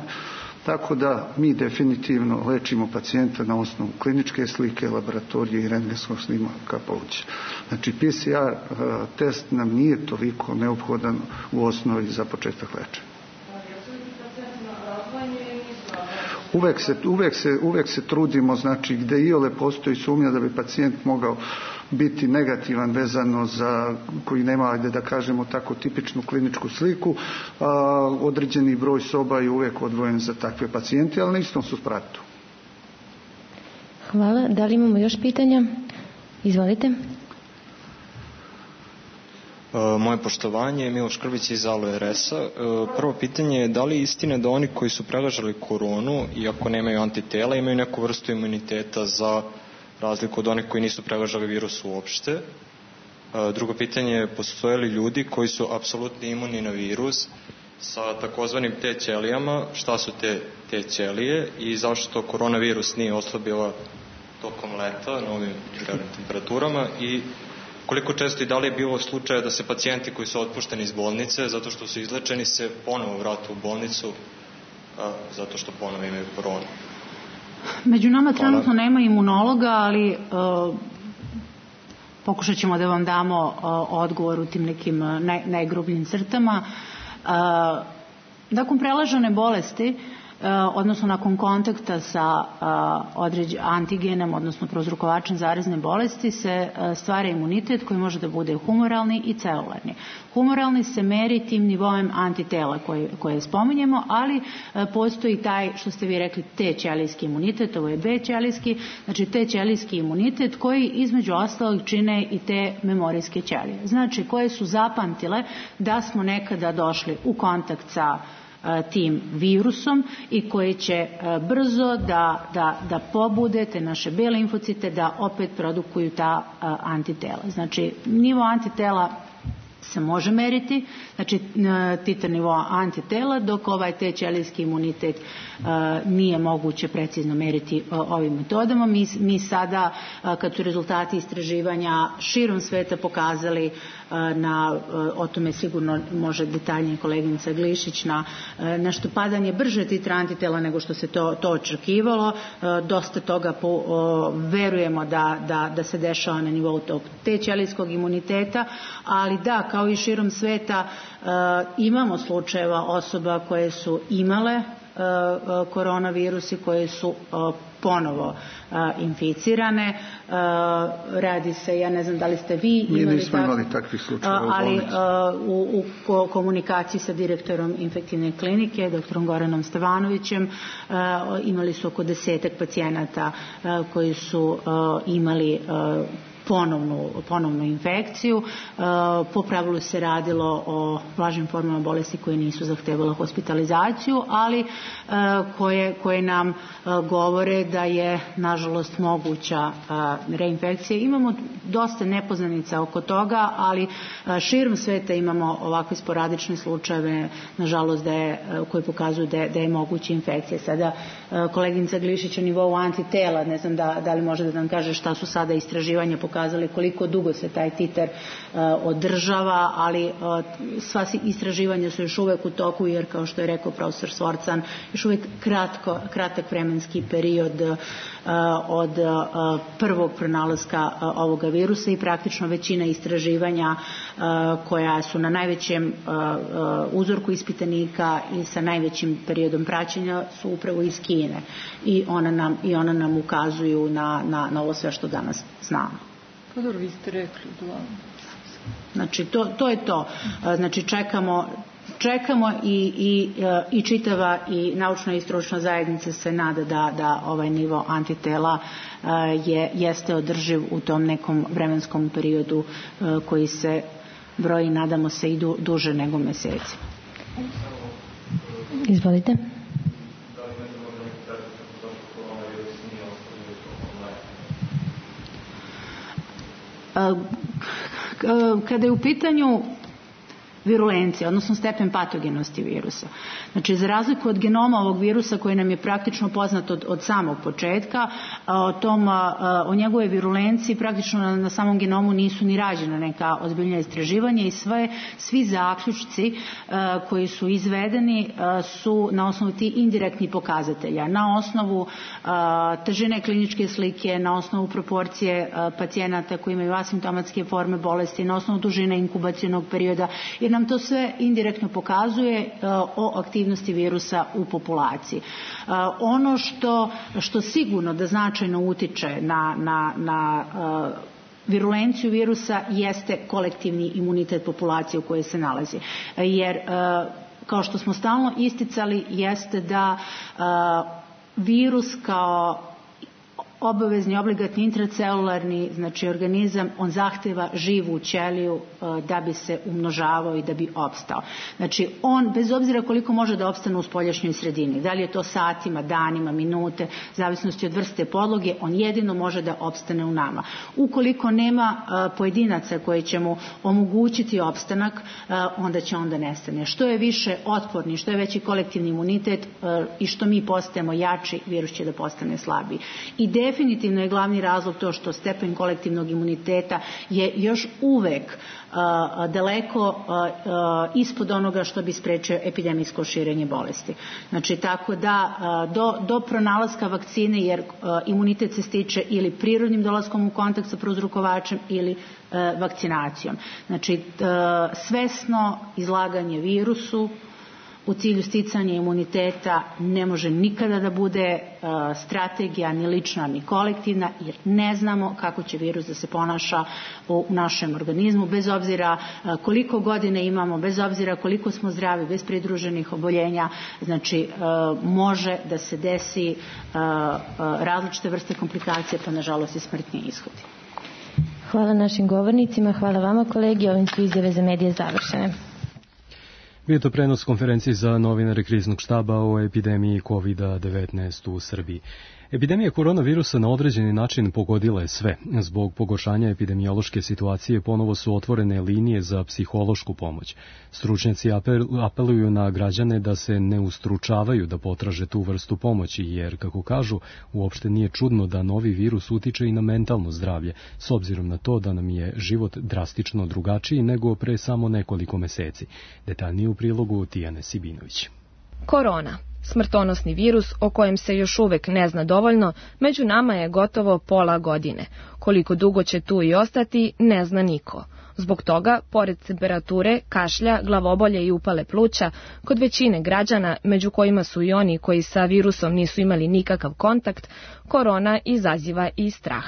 Tako da mi definitivno lečimo pacijenta na osnovu kliničke slike, laboratorije i rentgenskog snimaka pluća. Znači P C R test nam nije toliko neophodan u osnovi za početak lečenja. Uvek se, uvek, se, uvek se trudimo, znači gde iole postoji sumnja da bi pacijent mogao biti negativan vezano za, koji nema, ajde da kažemo tako, tipičnu kliničku sliku, a, određeni broj soba je uvek odvojen za takve pacijente, ali na istom su spratu. Hvala. Da li imamo još pitanja? Izvolite. Moje poštovanje, Miloš Krvić iz Alo R S-a. Prvo pitanje je da li je istina da oni koji su preležali koronu, iako nemaju antitela, imaju neku vrstu imuniteta za razliku od onih koji nisu preležali virus uopšte? Drugo pitanje je, postoje li ljudi koji su apsolutno imuni na virus sa takozvanim T ćelijama? Šta su te T ćelije i zašto koronavirus nije oslabila tokom leta na ovim temperaturama? I koliko često i da li je bilo slučaja da se pacijenti koji su otpušteni iz bolnice zato što su izlečeni se ponovo vrate u bolnicu a, zato što ponovo imaju koronu? Među nama trenutno nema imunologa, ali uh, pokušat ćemo da vam damo uh, odgovor u tim nekim naj, najgrubljim crtama. Uh, nakon prelažene bolesti odnosno nakon kontakta sa određenim antigenom, odnosno prouzrokovačem zarazne bolesti, se stvara imunitet koji može da bude humoralni i celularni. Humoralni se meri tim nivoem antitela koje, koje spominjemo, ali postoji taj, što ste vi rekli, T ćelijski imunitet, ovo je B ćelijski, znači T ćelijski imunitet koji između ostalog čine i te memorijske ćelije. Znači koje su zapamtile da smo nekada došli u kontakt sa tim virusom i koji će brzo da, da, da pobude te naše B limfocite da opet produkuju ta antitela. Znači nivo antitela se može meriti, znači titar nivoa antitela, dok ovaj T ćelijski imunitet nije moguće precizno meriti ovim metodama. Mi, mi sada, kad su rezultati istraživanja širom sveta pokazali na, o tome sigurno može detaljnije koleginica Glišić, na nešto padanje brže titra antitela nego što se to, to očekivalo. Dosta toga po, verujemo da, da, da se dešava na nivou tog T ćelijskog imuniteta, ali da, kao i širom sveta imamo slučajeva osoba koje su imale koronavirus i koje su ponovo inficirane. Radi se, ja ne znam da li ste vi imali, Mi nismo imali takvih slučajeva u ali u, u komunikaciji sa direktorom infektivne klinike, doktorom Goranom Stevanovićem, imali su oko desetak pacijenata koji su imali Ponovnu, ponovnu infekciju. Po pravilu se radilo o blažim formama bolesti koje nisu zahtevale hospitalizaciju, ali koje, koje nam govore da je nažalost moguća reinfekcija. Imamo dosta nepoznanica oko toga, ali širom sveta imamo ovakve sporadične slučajeve, nažalost, da je, koje pokazuju da je, da je moguća infekcija. Sada koleginica Glišić o nivou antitela, ne znam da, da li može da nam kaže šta su sada istraživanja pokazali, koliko dugo se taj titar uh, održava, ali uh, sva istraživanja su još uvek u toku, jer kao što je rekao profesor Svorcan, još uvek kratko, kratak vremenski period uh, od uh, prvog pronalaska uh, ovoga virusa i praktično većina istraživanja uh, koja su na najvećem uh, uh, uzorku ispitanika i sa najvećim periodom praćenja su upravo iz Kine i ona nam, i ona nam ukazuju na, na, na ovo sve što danas znamo. Pa dobro, vi ste rekli, uglavnom. Znači, to, to je to. Znači, čekamo, čekamo i, i, i čitava i naučna i stručna zajednica se nada da, da ovaj nivo antitela je, jeste održiv u tom nekom vremenskom periodu koji se broji, nadamo se, i du, duže nego meseci. Izvolite. Kada je u pitanju virulencija, odnosno stepen patogenosti virusa. Znači, za razliku od genoma ovog virusa koji nam je praktično poznat od, od samog početka, o, tom, o njegove virulenciji praktično na, na samom genomu nisu ni rađena neka ozbiljna istraživanja i sve, svi zaključci a, koji su izvedeni a, su na osnovu ti indirektni pokazatelja, na osnovu a, težine kliničke slike, na osnovu proporcije a, pacijenata koji imaju asimptomatske forme bolesti, na osnovu dužine inkubacionog perioda, jer nam to sve indirektno pokazuje uh, o aktivnosti virusa u populaciji. Uh, ono što, što sigurno da značajno utiče na, na, na uh, virulenciju virusa jeste kolektivni imunitet populacije u kojoj se nalazi. Jer, uh, kao što smo stalno isticali, jeste da uh, virus kao obavezni, obligatni, intracelularni, znači organizam, on zahteva živu ćeliju uh, da bi se umnožavao i da bi opstao. Znači, on, bez obzira koliko može da opstane u spoljašnjoj sredini, da li je to satima, danima, minute, zavisnosti od vrste podloge, on jedino može da opstane u nama. Ukoliko nema uh, pojedinaca koji će mu omogućiti opstanak, uh, onda će onda nestane. Što je više otporni, što je veći kolektivni imunitet uh, i što mi postajemo jači, virus će da postane slabiji. I definitivno je glavni razlog to što stepen kolektivnog imuniteta je još uvek uh, daleko uh, uh, ispod onoga što bi sprečio epidemijsko širenje bolesti. Znači, tako da uh, do, do pronalaska vakcine, jer uh, imunitet se stiče ili prirodnim dolaskom u kontakt sa prouzrokovačem ili uh, vakcinacijom. Znači, uh, svesno izlaganje virusu u cilju sticanja imuniteta ne može nikada da bude strategija ni lična ni kolektivna, jer ne znamo kako će virus da se ponaša u našem organizmu, bez obzira koliko godine imamo, bez obzira koliko smo zdravi, bez pridruženih oboljenja. Znači, može da se desi različite vrste komplikacije, pa nažalost i smrtni ishodi. Hvala našim govornicima, hvala vama kolegi, ovim su izjave za medije završene. Bio to prenos konferencije za novinare kriznog štaba o epidemiji kovid devetnaest u Srbiji. Epidemija koronavirusa na određeni način pogodila je sve. Zbog pogoršanja epidemiološke situacije ponovo su otvorene linije za psihološku pomoć. Stručnjaci apeluju na građane da se ne ustručavaju da potraže tu vrstu pomoći, jer, kako kažu, uopšte nije čudno da novi virus utiče i na mentalno zdravlje, s obzirom na to da nam je život drastično drugačiji nego pre samo nekoliko meseci. Detaljnije u prilogu Tijane Sibinović. Korona. Smrtonosni virus o kojem se još uvek ne zna dovoljno, među nama je gotovo pola godine. Koliko dugo će tu i ostati, ne zna niko. Zbog toga, pored temperature, kašlja, glavobolje i upale pluća, kod većine građana, među kojima su i oni koji sa virusom nisu imali nikakav kontakt, korona izaziva i strah.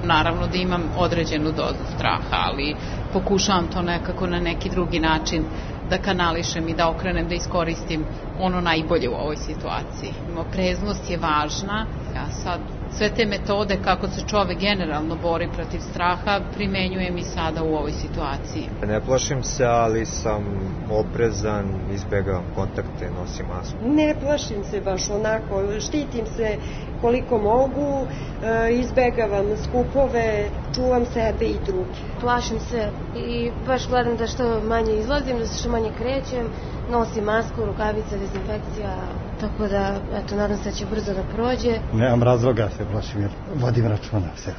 Naravno da imam određenu dozu straha, ali pokušavam to nekako na neki drugi način da kanališem i da okrenem, da iskoristim ono najbolje u ovoj situaciji. Opreznost je važna. Ja sad sve te metode kako se čovek generalno bori protiv straha primenjujem i sada u ovoj situaciji. Ne plašim se, ali sam oprezan, izbegavam kontakte, nosim masku. Ne plašim se baš onako, štitim se koliko mogu, izbegavam skupove, čuvam sebe i druge. Plašim se i baš gledam da što manje izlazim, da se što manje krećem, nosim masku, rukavice, dezinfekcija, tako da, eto, nadam se da će brzo da prođe. Nemam razloga se plašim jer vodim računa o sebi.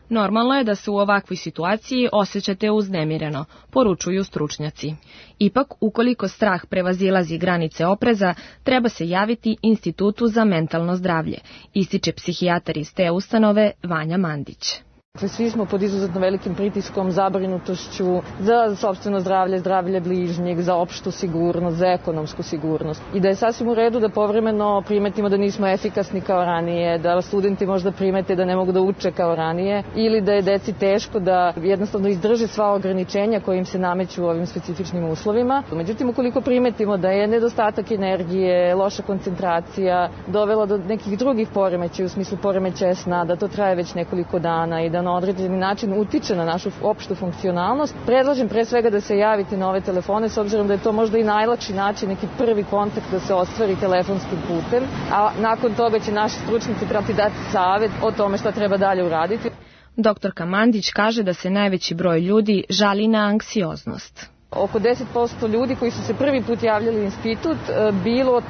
Normalno je da se u ovakvoj situaciji osjećate uznemireno, poručuju stručnjaci. Ipak, ukoliko strah prevazilazi granice opreza, treba se javiti Institutu za mentalno zdravlje, ističe psihijatar iz te ustanove Vanja Mandić. Svi smo pod izuzetno velikim pritiskom, zabrinutošću za sopstveno zdravlje, zdravlje bližnjeg, za opštu sigurnost, za ekonomsku sigurnost. I da je sasvim u redu da povremeno primetimo da nismo efikasni kao ranije, da studenti možda primete da ne mogu da uče kao ranije ili da je deci teško da jednostavno izdrže sva ograničenja koja im se nameću u ovim specifičnim uslovima. Međutim, ukoliko primetimo da je nedostatak energije, loša koncentracija dovela do nekih drugih poremećaja u smislu poremećaja sna, da to traje već nekoliko dana i da na određeni način utiče na našu opštu funkcionalnost, predlažem pre svega da se javite na ove telefone, s obzirom da je to možda i najlakši način, neki prvi kontakt da se ostvari telefonskim putem, a nakon toga će naši stručnici prati dati savet o tome šta treba dalje uraditi. Doktorka Mandić kaže da se najveći broj ljudi žali na anksioznost. Oko deset posto ljudi koji su se prvi put javljali u institut bilo,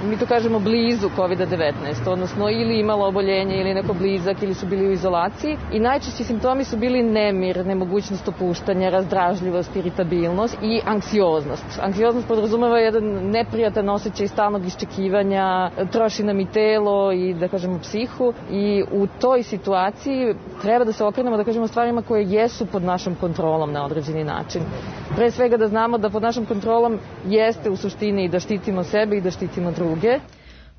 mi to kažemo, blizu kovid devetnaest, odnosno ili imalo oboljenje ili neko blizak ili su bili u izolaciji i najčešći simptomi su bili nemir, nemogućnost opuštanja, razdražljivost, iritabilnost i anksioznost. Anksioznost podrazumeva jedan neprijatan osjećaj stalnog iščekivanja, troši nam i telo i, da kažemo, psihu i u toj situaciji treba da se okrenemo, da kažemo, stvarima koje jesu pod našom kontrolom na određeni način. Pre svega da znamo da pod našom kontrolom jeste u suštini i da štitimo sebe i da štitimo druge.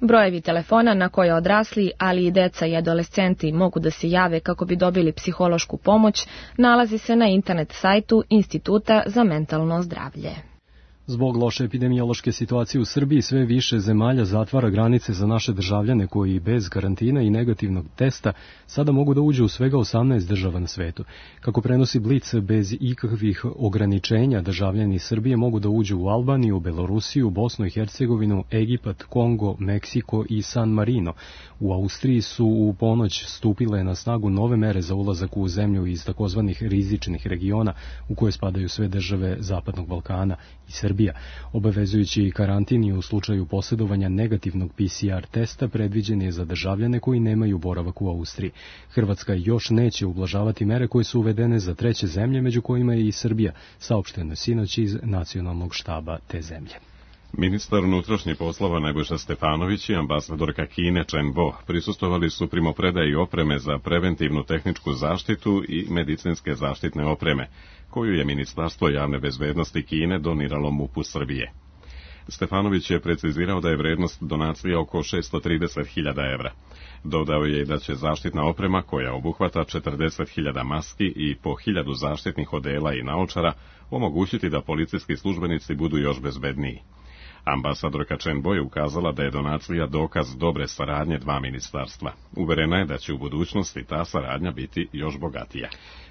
Brojevi telefona na koje odrasli, ali i deca i adolescenti mogu da se jave kako bi dobili psihološku pomoć, nalazi se na internet sajtu Instituta za mentalno zdravlje. Zbog loše epidemiološke situacije u Srbiji sve više zemalja zatvara granice za naše državljane koji bez karantina i negativnog testa sada mogu da uđu u svega osamnaest država na svetu. Kako prenosi Blic, bez ikakvih ograničenja državljani Srbije mogu da uđu u Albaniju, Belorusiju, Bosnu i Hercegovinu, Egipat, Kongo, Meksiko i San Marino. U Austriji su u ponoć stupile na snagu nove mere za ulazak u zemlju iz takozvanih rizičnih regiona u koje spadaju sve države Zapadnog Balkana i Srbije. Obavezujući karantin i u slučaju posjedovanja negativnog P C R testa predviđen je za državljane koji nemaju boravak u Austriji. Hrvatska još neće ublažavati mere koje su uvedene za treće zemlje, među kojima je i Srbija, saopšteno sinoć iz nacionalnog štaba te zemlje. Ministar unutrašnjih poslova Nebojša Stefanović i ambasadorka Kine Chen Bo prisustvovali su primopredaji opreme za preventivnu tehničku zaštitu i medicinske zaštitne opreme, koju je Ministarstvo javne bezbednosti Kine doniralo M U P-u Srbije. Stefanović je precizirao da je vrednost donacije oko šessto trideset hiljada evra. Dodao je da će zaštitna oprema, koja obuhvata četrdeset hiljada maski i po hiljadu zaštitnih odela i naočara, omogućiti da policijski službenici budu još bezbedniji. Ambasadorka Chen Bo je ukazala da je donacija dokaz dobre saradnje dva ministarstva. Uverena je da će u budućnosti ta saradnja biti još bogatija.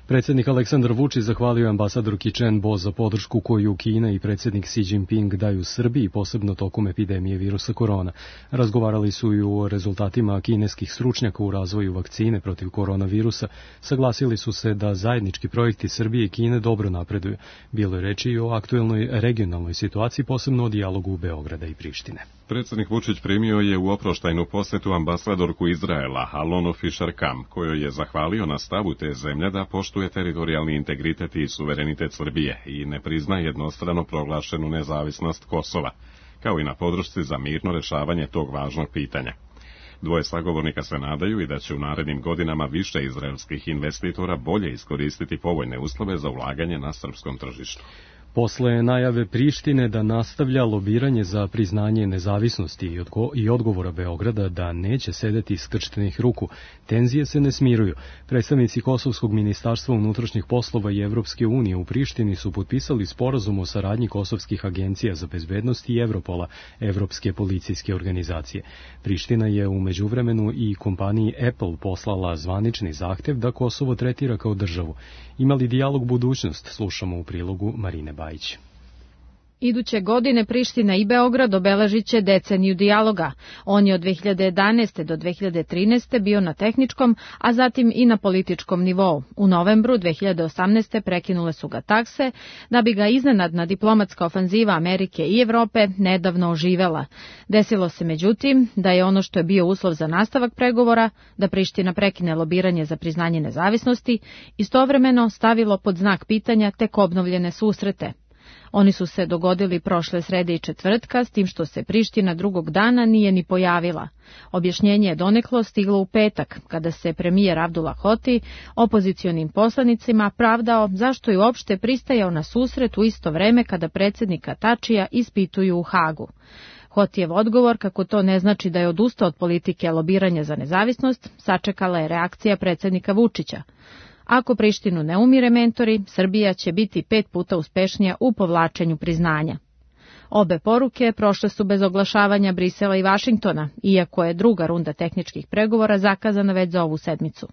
Predsjednik Aleksandar Vučić zahvalio ambasadorki Chen Bo za podršku koju Kina i predsjednik Xi Jinping daju Srbiji, posebno tokom epidemije virusa korona. Razgovarali su i o rezultatima kineskih stručnjaka u razvoju vakcine protiv koronavirusa. Saglasili su se da zajednički projekti Srbije i Kine dobro napreduju. Bilo je reči i o aktuelnoj regionalnoj situaciji, posebno o dijalogu Beograda i Prištine. Predsjednik Vučić primio je u oproštajnu posetu ambasadorku Izraela, Alonu Fisher-Kam, kojoj je zahvalio na stavu te zemlje da poštuje teritorijalni integritet i suverenitet Srbije i ne prizna jednostrano proglašenu nezavisnost Kosova, kao i na podršci za mirno rešavanje tog važnog pitanja. Dvoje sagovornika se nadaju i da će u narednim godinama više izraelskih investitora bolje iskoristiti povoljne uslove za ulaganje na srpskom tržištu. Posle najave Prištine da nastavlja lobiranje za priznanje nezavisnosti i odgovora Beograda da neće sedeti skrštenih ruku, tenzije se ne smiruju. Predstavnici Kosovskog ministarstva unutrašnjih poslova i Evropske unije u Prištini su potpisali sporazum o saradnji kosovskih agencija za bezbednost i Evropola, Evropske policijske organizacije. Priština je u međuvremenu i kompaniji Apple poslala zvanični zahtev da Kosovo tretira kao državu. Imali dijalog budućnost, slušamo u prilogu Marine Bajić. Iduće godine Priština i Beograd obeležit će deceniju dijaloga. On je od dve hiljade jedanaeste. do dve hiljade trinaeste. bio na tehničkom, a zatim i na političkom nivou. U novembru dve hiljade osamnaeste. prekinule su ga takse, da bi ga iznenadna diplomatska ofanziva Amerike i Evrope nedavno oživela. Desilo se međutim da je ono što je bio uslov za nastavak pregovora, da Priština prekine lobiranje za priznanje nezavisnosti, istovremeno stavilo pod znak pitanja tek obnovljene susrete. Oni su se dogodili prošle srede i četvrtka, s tim što se Priština drugog dana nije ni pojavila. Objašnjenje je doneklo stiglo u petak, kada se premijer Abdullah Hoti opozicionim poslanicima pravdao zašto je uopšte pristajao na susret u isto vreme kada predsjednika Tačija ispituju u Hagu. Hotijev odgovor, kako to ne znači da je odustao od politike lobiranja za nezavisnost, sačekala je reakcija predsjednika Vučića. Ako Prištinu ne umire mentori, Srbija će biti pet puta uspešnija u povlačenju priznanja. Obe poruke prošle su bez oglašavanja Brisela i Vašingtona, iako je druga runda tehničkih pregovora zakazana već za ovu sedmicu.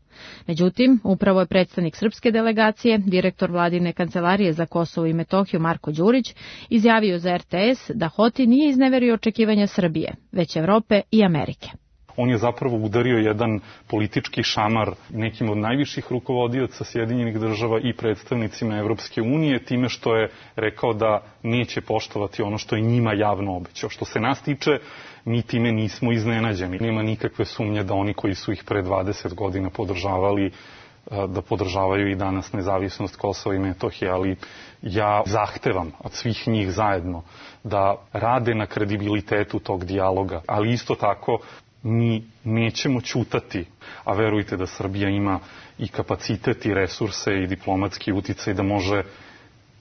Međutim, upravo je predstavnik srpske delegacije, direktor vladine kancelarije za Kosovo i Metohiju Marko Đurić, izjavio za R T S da Hoti nije izneverio očekivanja Srbije, već Evrope i Amerike. On je zapravo udario jedan politički šamar nekim od najviših rukovodioca Sjedinjenih država i predstavnicima Evropske unije, time što je rekao da neće poštovati ono što je njima javno obećao. Što se nas tiče, mi time nismo iznenađeni. Nema nikakve sumnje da oni koji su ih pre dvadeset godina podržavali, da podržavaju i danas nezavisnost Kosova i Metohije, ali ja zahtevam od svih njih zajedno da rade na kredibilitetu tog dijaloga, ali isto tako mi nećemo ćutati, a verujte da Srbija ima i kapacitet i resurse i diplomatski uticaj da može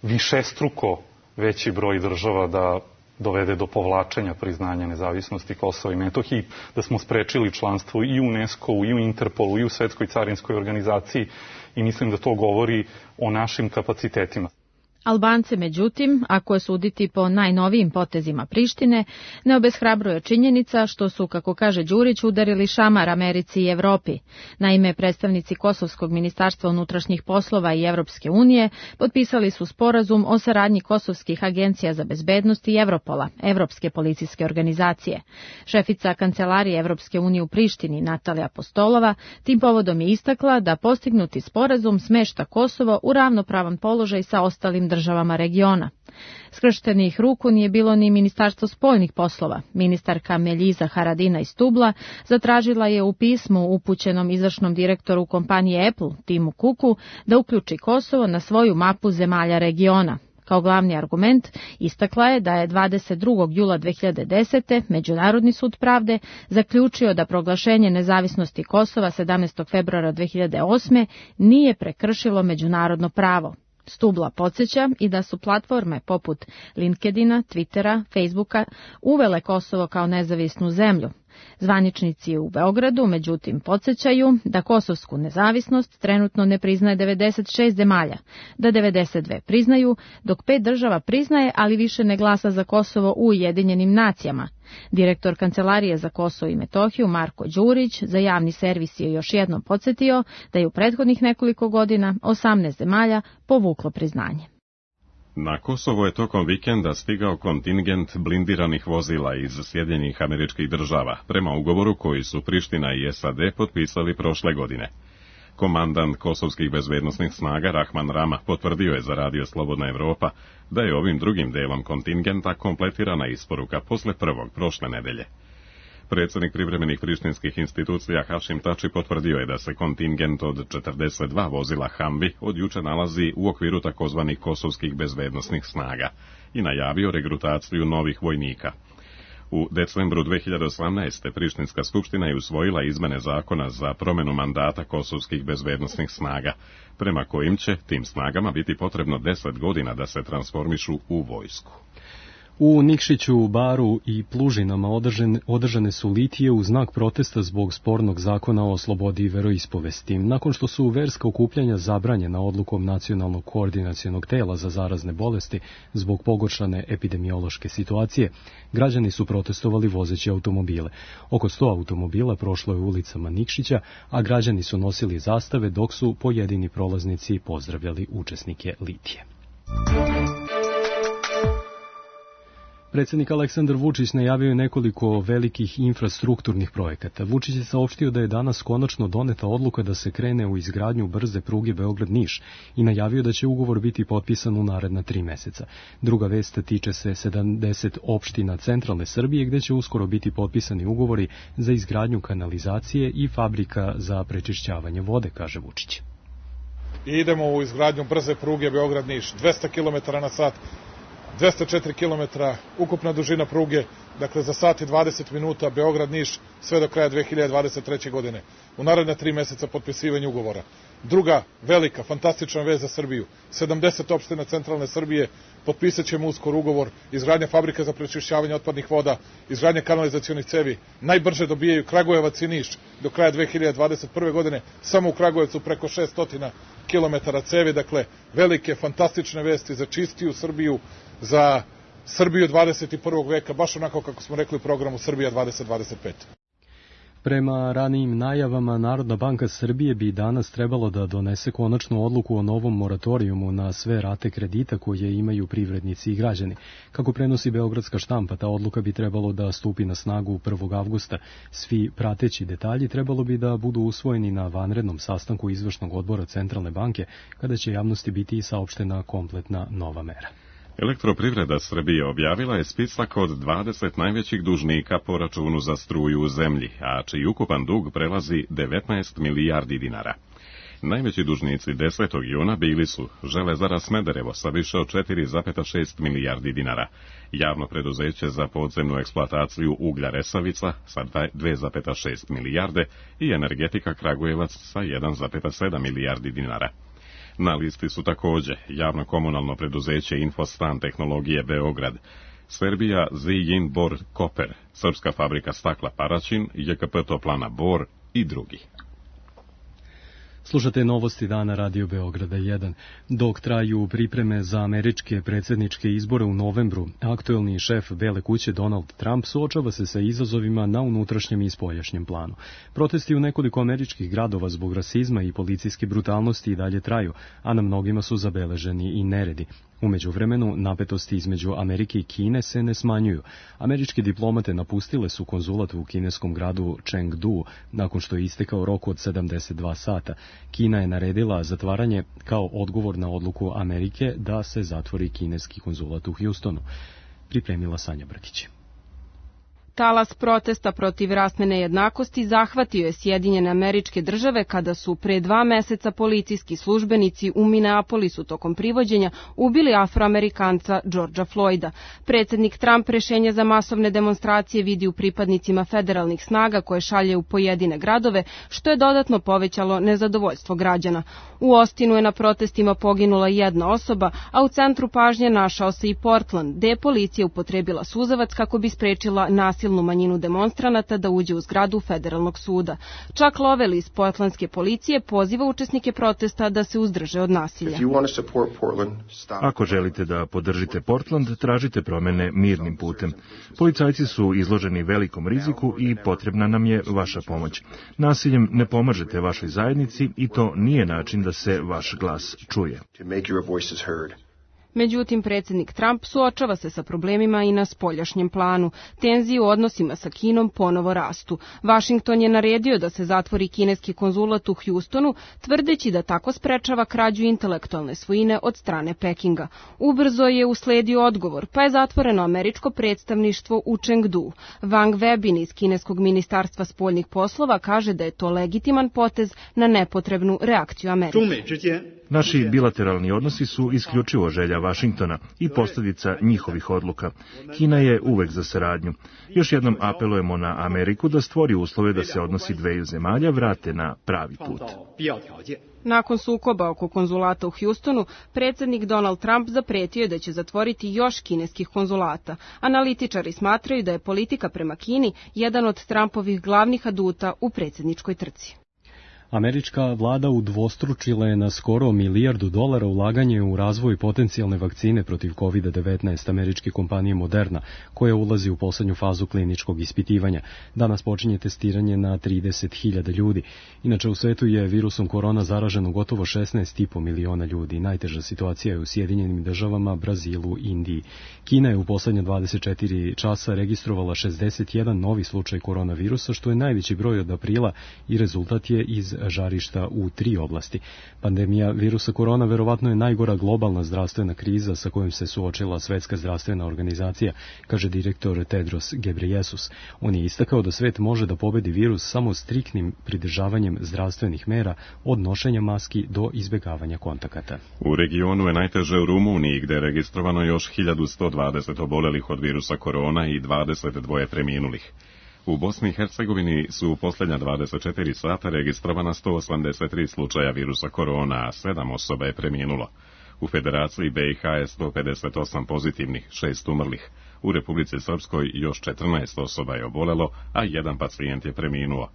višestruko veći broj država da dovede do povlačenja priznanja nezavisnosti Kosova i Metohije, da smo sprečili članstvo i u UNESCO-u, i u Interpolu, i u Svetskoj carinskoj organizaciji i mislim da to govori o našim kapacitetima. Albance, međutim, ako je suditi po najnovijim potezima Prištine, ne obeshrabruje činjenica što su, kako kaže Đurić, udarili šamar Americi i Evropi. Naime, predstavnici Kosovskog ministarstva unutrašnjih poslova i Evropske unije potpisali su sporazum o saradnji kosovskih agencija za bezbednost i Evropola, Evropske policijske organizacije. Šefica kancelarije Evropske unije u Prištini, Natalija Apostolova, tim povodom je istakla da postignuti sporazum smešta Kosovo u ravnopravan položaj sa ostalim državama regiona. Skrštenih ruku nije bilo ni Ministarstvo spoljnih poslova. Ministarka Meljiza Haradina iz Tubla zatražila je u pismu upućenom izvršnom direktoru kompanije Apple, Timu Cooku, da uključi Kosovo na svoju mapu zemalja regiona. Kao glavni argument istakla je da je dvadeset drugog jula dve hiljade desete. Međunarodni sud pravde zaključio da proglašenje nezavisnosti Kosova sedamnaestog februara dve hiljade osme. nije prekršilo međunarodno pravo. Stubla podsjeća i da su platforme poput LinkedIna, Twittera, Facebooka uvele Kosovo kao nezavisnu zemlju. Zvaničnici u Beogradu, međutim, podsjećaju da kosovsku nezavisnost trenutno ne priznaje devedeset šest zemalja, da devedeset dve priznaju, dok pet država priznaje, ali više ne glasa za Kosovo u Ujedinjenim nacijama. Direktor Kancelarije za Kosovo i Metohiju Marko Đurić za javni servis je još jednom podsjetio da je u prethodnih nekoliko godina osamnaest zemalja povuklo priznanje. Na Kosovo je tokom vikenda stigao kontingent blindiranih vozila iz Sjedinjenih Američkih Država, prema ugovoru koji su Priština i S A D potpisali prošle godine. Komandant kosovskih bezbednosnih snaga Rahman Rama potvrdio je za Radio Slobodna Evropa da je ovim drugim delom kontingenta kompletirana isporuka posle prvog prošle nedelje. Predsjednik privremenih prištinskih institucija Hašim Tači potvrdio je da se kontingent od četrdeset dva vozila Humvee od juče nalazi u okviru takozvanih kosovskih bezbednosnih snaga i najavio regrutaciju novih vojnika. U decembru dve hiljade osamnaeste. Prištinska skupština je usvojila izmene zakona za promjenu mandata kosovskih bezbednosnih snaga, prema kojim će tim snagama biti potrebno deset godina da se transformišu u vojsku. U Nikšiću, Baru i Plužinama održane, održane su litije u znak protesta zbog spornog zakona o slobodi veroispovesti. Nakon što su verska okupljanja zabranjena odlukom Nacionalnog koordinacionog tela za zarazne bolesti zbog pogoršane epidemiološke situacije, građani su protestovali vozeći automobile. Oko sto automobila prošlo je ulicama Nikšića, a građani su nosili zastave dok su pojedini prolaznici pozdravljali učesnike litije. Predsjednik Aleksandar Vučić najavio je nekoliko velikih infrastrukturnih projekata. Vučić je saopštio da je danas konačno doneta odluka da se krene u izgradnju brze pruge Beograd-Niš i najavio da će ugovor biti potpisan u naredna tri meseca. Druga vest tiče se sedamdeset opština centralne Srbije gdje će uskoro biti potpisani ugovori za izgradnju kanalizacije i fabrika za prečišćavanje vode, kaže Vučić. I idemo u izgradnju brze pruge Beograd-Niš, dvesta kilometara na sat. dvesta četiri kilometra ukupna dužina pruge, dakle za sat i dvadeset minuta Beograd-Niš sve do kraja dve hiljade dvadeset treće. godine. U naredna tri meseca potpisivanje ugovora. Druga velika, fantastična vez za Srbiju. sedamdeset opština centralne Srbije, potpisat ćemo uskoro ugovor, izgradnja fabrika za prečišćavanje otpadnih voda, izgradnja kanalizacionih cevi. Najbrže dobijaju Kragujevac i Niš do kraja dve hiljade dvadeset prve. godine, samo u Kragujevcu preko šesto kilometara cevi, dakle velike, fantastične vesti za čistiju Srbiju, za Srbiju dvadeset prvog. veka, baš onako kako smo rekli u programu Srbija dvadeset dvadeset pet. Prema ranijim najavama, Narodna banka Srbije bi danas trebalo da donese konačnu odluku o novom moratorijumu na sve rate kredita koje imaju privrednici i građani. Kako prenosi Beogradska štampa, ta odluka bi trebalo da stupi na snagu prvog avgusta. Svi prateći detalji trebalo bi da budu usvojeni na vanrednom sastanku izvršnog odbora Centralne banke, kada će javnosti biti i saopštena kompletna nova mera. Elektroprivreda Srbije objavila je spisak od dvadeset najvećih dužnika po računu za struju u zemlji, a čiji ukupan dug prelazi devetnaest milijardi dinara. Najveći dužnici desetog juna bili su Železara Smederevo sa više od četiri zarez šest milijardi dinara, javno preduzeće za podzemnu eksploataciju uglja Resavica sa dve zarez šest milijarde i Energetika Kragujevac sa jedan zarez sedam milijardi dinara. Na listi su također javno komunalno preduzeće Infostan tehnologije Beograd, Serbija Zijin Bor Koper, Srpska fabrika stakla Paraćin, J K P Toplana Bor i drugi. Slušate novosti dana Radio Beograda jedan. Dok traju pripreme za američke predsjedničke izbore u novembru, aktuelni šef Bele kuće Donald Trump suočava se sa izazovima na unutrašnjem i spoljašnjem planu. Protesti u nekoliko američkih gradova zbog rasizma i policijske brutalnosti i dalje traju, a na mnogima su zabeleženi i neredi. U međuvremenu, napetosti između Amerike i Kine se ne smanjuju. Američke diplomate napustile su konzulat u kineskom gradu Chengdu nakon što je istekao rok od sedamdeset dva sata. Kina je naredila zatvaranje kao odgovor na odluku Amerike da se zatvori kineski konzulat u Houstonu. Pripremila Sanja Brkić. talas protesta protiv rasne nejednakosti zahvatio je Sjedinjene Američke Države kada su pre dva meseca policijski službenici u Minneapolisu tokom privođenja ubili Afroamerikanca Georgea Floyda. Predsednik Trump rešenje za masovne demonstracije vidi u pripadnicima federalnih snaga koje šalje u pojedine gradove, što je dodatno povećalo nezadovoljstvo građana. U Austinu je na protestima poginula jedna osoba, a u centru pažnje našao se i Portland, gde je policija upotrebila suzavac kako bi sprečila nasilnu manjinu demonstranata da uđe u zgradu federalnog suda. Chuck Lovell iz portlandske policije poziva učesnike protesta da se uzdrže od nasilja. Ako želite da podržite Portland, tražite promene mirnim putem. Policajci su izloženi velikom riziku i potrebna nam je vaša pomoć. Nasiljem ne pomažete vašoj zajednici i to nije način da se vaš glas čuje. Međutim, predsjednik Trump suočava se sa problemima i na spoljašnjem planu. Tenzije u odnosima sa Kinom ponovo rastu. Vašington je naredio da se zatvori kineski konzulat u Houstonu, tvrdeći da tako sprečava krađu intelektualne svojine od strane Pekinga. Ubrzo je usledio odgovor, pa je zatvoreno američko predstavništvo u Chengdu. Wang Webin iz kineskog ministarstva spoljnih poslova kaže da je to legitiman potez na nepotrebnu reakciju Amerike. Naši bilateralni odnosi su isključivo želja Vašingtona i posljedica njihovih odluka. Kina je uvek za saradnju. Još jednom apelujemo na Ameriku da stvori uslove da se odnosi dveju zemalja vrate na pravi put. Nakon sukoba oko konzulata u Houstonu, predsjednik Donald Trump zapretio je da će zatvoriti još kineskih konzulata. Analitičari smatraju da je politika prema Kini jedan od Trumpovih glavnih aduta u predsjedničkoj trci. Američka vlada udvostručila je na skoro milijardu dolara ulaganje u razvoj potencijalne vakcine protiv kovid devetnaest američke kompanije Moderna, koja ulazi u poslednju fazu kliničkog ispitivanja. Danas počinje testiranje na trideset hiljada ljudi. Inače, u svetu je virusom korona zaraženo gotovo šesnaest i po miliona ljudi. Najteža situacija je u Sjedinjenim državama, Brazilu i Indiji. Kina je u poslednje dvadeset četiri časa registrovala šezdeset jedan novi slučaj koronavirusa, što je najveći broj od aprila i rezultat je iz žarišta u tri oblasti. Pandemija virusa korona verovatno je najgora globalna zdravstvena kriza sa kojom se suočila Svetska zdravstvena organizacija, kaže direktor Tedros Ghebreyesus. On je istakao da svet može da pobedi virus samo striktnim pridržavanjem zdravstvenih mera od nošenja maski do izbjegavanja kontakata. U regionu je najteže u Rumuniji, gde je registrovano još hiljadu sto dvadeset obolelih od virusa korona i dvadeset dva preminulih. U Bosni i Hercegovini su u posljednja dvadeset četiri sata registrovana sto osamdeset tri slučaja virusa korona, a sedam osoba je preminulo. U Federaciji B i H je sto pedeset osam pozitivnih, šest umrlih. U Republici Srpskoj još četrnaest osoba je obolelo, a jedan pacijent je preminuo.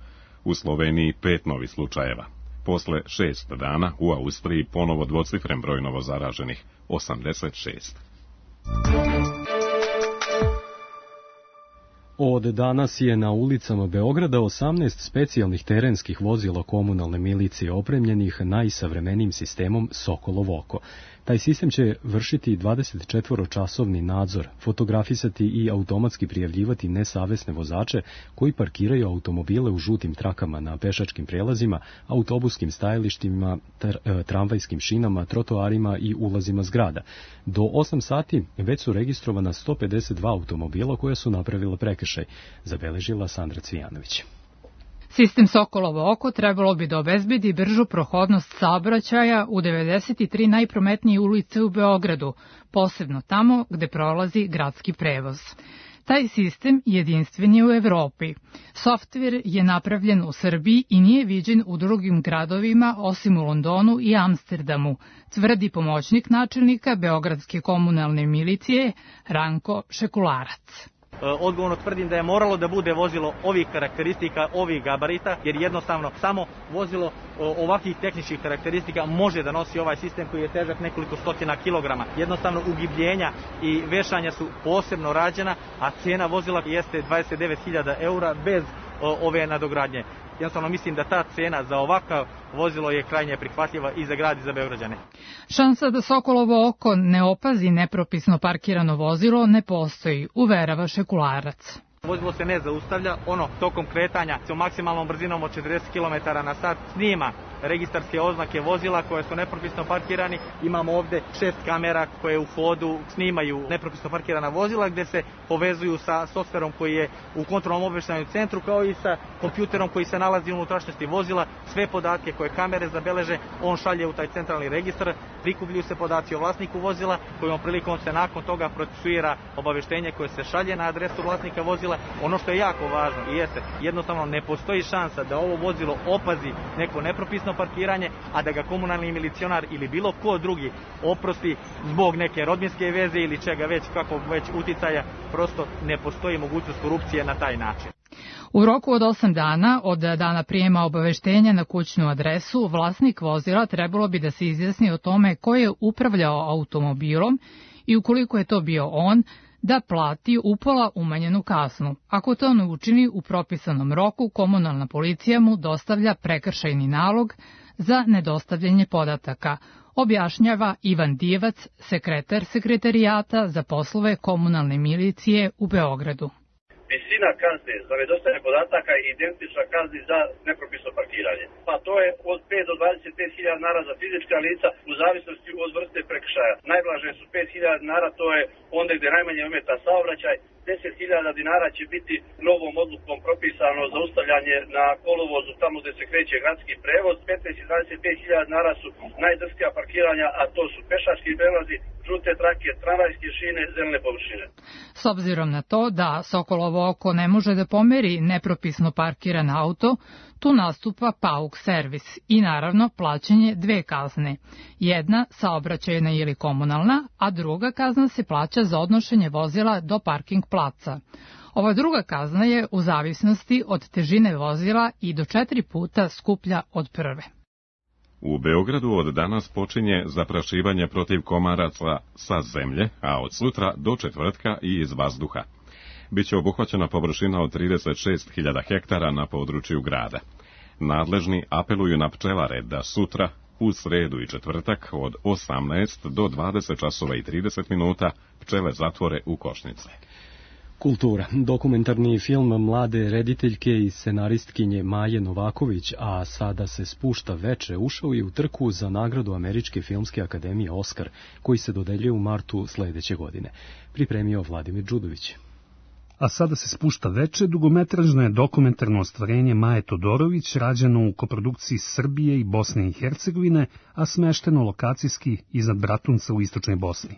U Sloveniji pet novih slučajeva. Posle šest dana u Austriji ponovo dvocifren broj novozaraženih, osamdeset šest. Od danas je na ulicama Beograda osamnaest specijalnih terenskih vozila komunalne milicije opremljenih najsavremenijim sistemom Sokolov oko. Taj sistem će vršiti dvadesetčetvoročasovni nadzor, fotografisati i automatski prijavljivati nesavesne vozače koji parkiraju automobile u žutim trakama na pešačkim prelazima, autobuskim stajalištima, tramvajskim šinama, trotoarima i ulazima zgrada. Do osam sati već su registrovana sto pedeset dva automobila koja su napravila prekršaj, zabeležila Sandra Cvijanović. Sistem Sokolovo oko trebalo bi da obezbedi bržu prohodnost saobraćaja u devedeset tri najprometnije ulice u Beogradu, posebno tamo gde prolazi gradski prevoz. Taj sistem jedinstven je u Evropi. Softver je napravljen u Srbiji i nije viđen u drugim gradovima osim u Londonu i Amsterdamu, tvrdi pomoćnik načelnika Beogradske komunalne milicije Ranko Šekularac. Odgovorno tvrdim da je moralo da bude vozilo ovih karakteristika, ovih gabarita, jer jednostavno samo vozilo ovakvih tehničkih karakteristika može da nosi ovaj sistem koji je težak nekoliko stotina kilograma. Jednostavno ugibljenja i vešanja su posebno rađena, a cena vozila jeste dvadeset devet hiljada eura bez ove nadogradnje. Jednostavno mislim da ta cena za ovakav vozilo je krajnje prihvatljiva i za grad i za Beograđane. Šansa da Sokolovo oko ne opazi nepropisno parkirano vozilo ne postoji, uverava Šekularac. Vozilo se ne zaustavlja, ono tokom kretanja sa maksimalnom brzinom od četrdeset kilometara na sat snima registarske oznake vozila koje su nepropisno parkirani. Imamo ovde šest kamera koje u hodu snimaju nepropisno parkirana vozila gde se povezuju sa softverom koji je u kontrolnom obaveštajnom centru kao i sa kompjuterom koji se nalazi u unutrašnjosti vozila. Sve podatke koje kamere zabeleže on šalje u taj centralni registar, prikupljuju se podaci o vlasniku vozila kojom prilikom se nakon toga procesuira obaveštenje koje se šalje na adresu vlasnika vozila. Ono što je jako važno i jeste, jednostavno ne postoji šansa da ovo vozilo opazi neko nepropisno parkiranje, a da ga komunalni milicionar ili bilo ko drugi oprosti zbog neke rodbinske veze ili čega već, kako već uticaja, prosto ne postoji mogućnost korupcije na taj način. U roku od osam dana od dana prijema obaveštenja na kućnu adresu, vlasnik vozila trebalo bi da se izjasni o tome ko je upravljao automobilom i ukoliko je to bio on, da plati upola umanjenu kaznu. Ako to ne učini u propisanom roku, komunalna policija mu dostavlja prekršajni nalog za nedostavljanje podataka, objašnjava Ivan Divac, sekretar sekretarijata za poslove komunalne milicije u Beogradu. Visina kazne za nedostavljanje podataka je identična kazni za nepropisno parkiranje. Pa to je od pet do dvadeset pet hiljada dinara za fizička lica u zavisnosti od vrste prekršaja. Najblaže su pet hiljada dinara, to je onda gde najmanje ometa saobraćaj. deset hiljada dinara će biti novom odlukom propisano zaustavljanje na kolovozu tamo gde se kreće gradski prevoz. petnaest i dvadeset pet hiljada dinara su najdrskija parkiranja, a to su pešački prelazi, žute trake, tramvajske šine, zelene površine. S obzirom na to da Sokolovo oko ne može da pomeri nepropisno parkiran auto, tu nastupa pauk servis i naravno plaćanje dve kazne. Jedna saobraćajna ili komunalna, a druga kazna se plaća za odnošenje vozila do parking placa. Ova druga kazna je u zavisnosti od težine vozila i do četiri puta skuplja od prve. U Beogradu od danas počinje zaprašivanje protiv komaraca sa zemlje, a od sutra do četvrtka i iz vazduha. Biće obuhvaćena površina od trideset šest hiljada hektara na području grada. Nadležni apeluju na pčelare da sutra, u sredu i četvrtak, od osamnaest do dvadeset časova i trideset minuta pčele zatvore u košnice. Kultura. Dokumentarni film mlade rediteljke i scenaristkinje Maje Novaković, a sada se spušta veče, ušao je u trku za nagradu Američke filmske akademije Oskar, koji se dodeljuje u martu sledeće godine. Pripremio Vladimir Đudović. A sada se spušta veče, dugometražno je dokumentarno ostvarenje Maje Todorović, rađeno u koprodukciji Srbije i Bosne i Hercegovine, a smešteno lokacijski iznad Bratunca u istočnoj Bosni.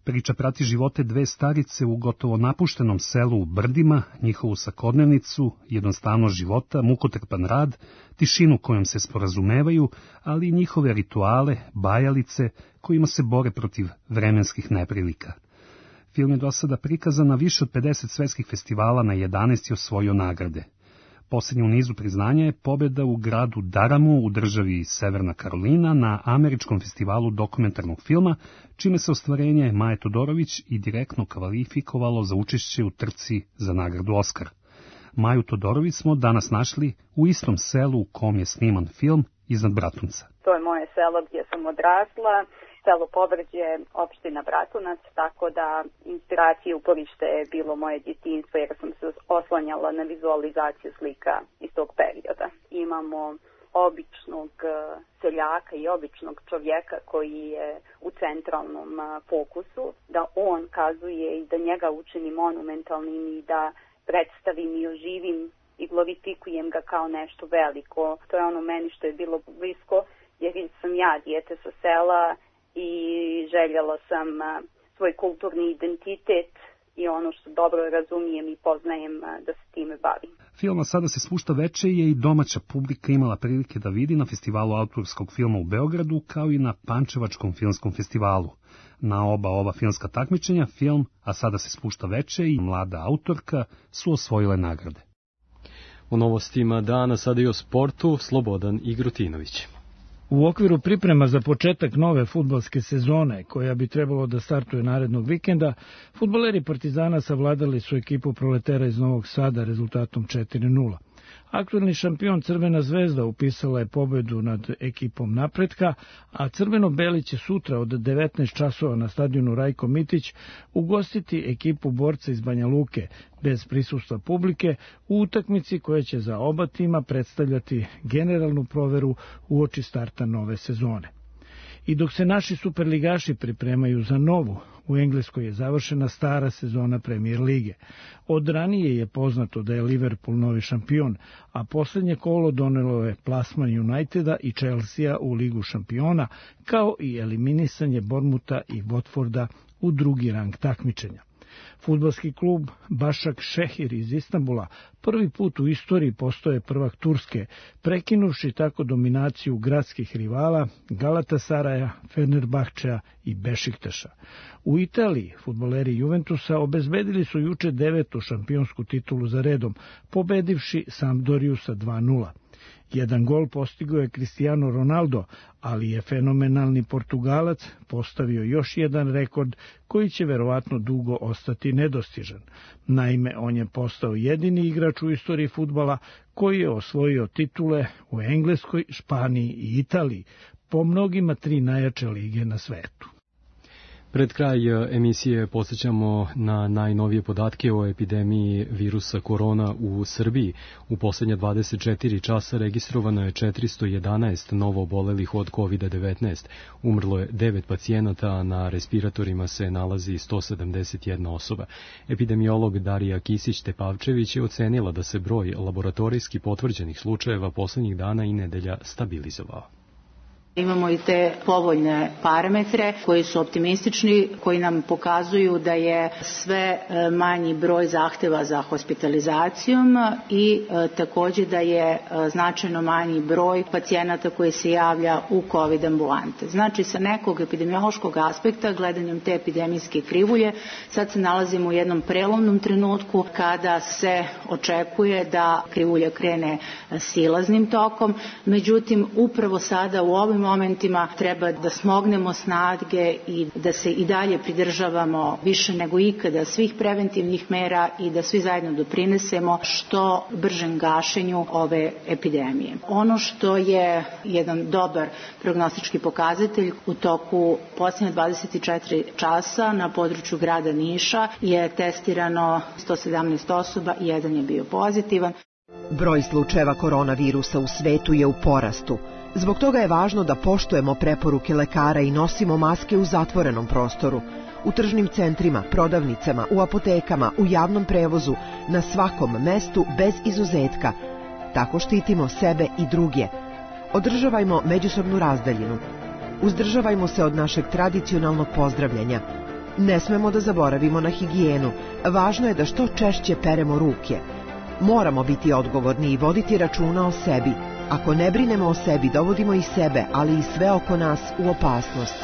Priča prati živote dve starice u gotovo napuštenom selu u Brdima, njihovu svakodnevnicu, jednostavnost života, mukotrpan rad, tišinu kojom se sporazumevaju, ali i njihove rituale, bajalice, kojima se bore protiv vremenskih neprilika. Film je do sada prikazan na više od pedeset svetskih festivala, na jedanaest je osvojio nagrade. Posljednja u nizu priznanja je pobjeda u gradu Daramu u državi Severna Karolina na Američkom festivalu dokumentarnog filma, čime se ostvarenje Maje Todorović i direktno kvalifikovalo za učešće u trci za nagradu Oskar. Maju Todorović smo danas našli u istom selu u kom je sniman film, iznad Bratunca. To je moje selo gdje sam odrasla. Selo Povrđe, opština Bratunac, tako da inspiracija uporište je bilo moje djetinjstvo jer sam se oslanjala na vizualizaciju slika iz tog perioda. Imamo običnog seljaka i običnog čovjeka koji je u centralnom fokusu, da on kazuje i da njega učinim monumentalnim i da predstavim i oživim i glorifikujem ga kao nešto veliko. To je ono meni što je bilo blisko jer sam ja dijete sa sela i željela sam svoj kulturni identitet i ono što dobro razumijem i poznajem da se time bavim. Film Sada se spušta veče je i domaća publika imala prilike da vidi na festivalu autorskog filma u Beogradu, kao i na Pančevačkom filmskom festivalu. Na oba ova filmska takmičenja film A sada se spušta veče i mlada autorka su osvojile nagrade. U novostima dana sada i o sportu Slobodan Igrutinović. U okviru priprema za početak nove fudbalske sezone, koja bi trebalo da startuje narednog vikenda, fudbaleri Partizana savladali su ekipu Proletera iz Novog Sada rezultatom četiri nula. Aktuelni šampion Crvena zvezda upisala je pobedu nad ekipom Napretka, a crveno-beli će sutra od devetnaest časova na stadionu Rajko Mitić ugostiti ekipu Borca iz Banja Luke bez prisustva publike u utakmici koja će za oba tima predstavljati generalnu proveru uoči starta nove sezone. I dok se naši superligaši pripremaju za novu, u Engleskoj je završena stara sezona Premier lige. Od ranije je poznato da je Liverpool novi šampion, a posljednje kolo donelo je plasman Uniteda i Chelsea u Ligu šampiona, kao i eliminisanje Bournemoutha i Watforda u drugi rang takmičenja. Fudbalski klub Başak Šehir iz Istanbula prvi put u istoriji postoje prvak Turske, prekinuvši tako dominaciju gradskih rivala Galatasaraja, Fenerbahčea i Bešiktaša. U Italiji fudbaleri Juventusa obezbedili su juče devetu šampionsku titulu za redom, pobedivši Sampdoriju sa dva nula. Jedan gol postigao je Cristiano Ronaldo, ali je fenomenalni Portugalac postavio još jedan rekord koji će verovatno dugo ostati nedostižan. Naime, on je postao jedini igrač u istoriji fudbala koji je osvojio titule u Engleskoj, Španiji i Italiji, po mnogima tri najjače lige na svetu. Pred kraj emisije podsjećamo na najnovije podatke o epidemiji virusa korona u Srbiji. U posljednja dvadeset četiri časa registrovano je četiristo jedanaest novo obolelih od kovid devetnaest. Umrlo je devet pacijenata, a na respiratorima se nalazi sto sedamdeset jedna osoba. Epidemiolog Darija Kisić-Tepavčević je ocenila da se broj laboratorijski potvrđenih slučajeva posljednjih dana i nedelja stabilizovao. Imamo i te povoljne parametre koji su optimistični, koji nam pokazuju da je sve manji broj zahteva za hospitalizacijom i e, također da je e, značajno manji broj pacijenata koji se javlja u COVID ambulante. Znači, sa nekog epidemiološkog aspekta, gledanjem te epidemijske krivulje, sad se nalazimo u jednom prelomnom trenutku kada se očekuje da krivulja krene silaznim tokom, međutim, upravo sada u ovim momentima treba da smognemo snage i da se i dalje pridržavamo više nego ikada svih preventivnih mera i da svi zajedno doprinesemo što bržem gašenju ove epidemije. Ono što je jedan dobar prognostički pokazatelj u toku posljednje dvadeset četiri časa na području grada Niša je testirano sto sedamnaest osoba i jedan je bio pozitivan. Broj slučajeva koronavirusa u svetu je u porastu. Zbog toga je važno da poštujemo preporuke lekara i nosimo maske u zatvorenom prostoru, u tržnim centrima, prodavnicama, u apotekama, u javnom prevozu, na svakom mestu bez izuzetka. Tako štitimo sebe i druge. Održavajmo međusobnu razdaljinu. Uzdržavajmo se od našeg tradicionalnog pozdravljanja. Ne smemo da zaboravimo na higijenu. Važno je da što češće peremo ruke. Moramo biti odgovorni i voditi računa o sebi. Ako ne brinemo o sebi, dovodimo i sebe, ali i sve oko nas u opasnost.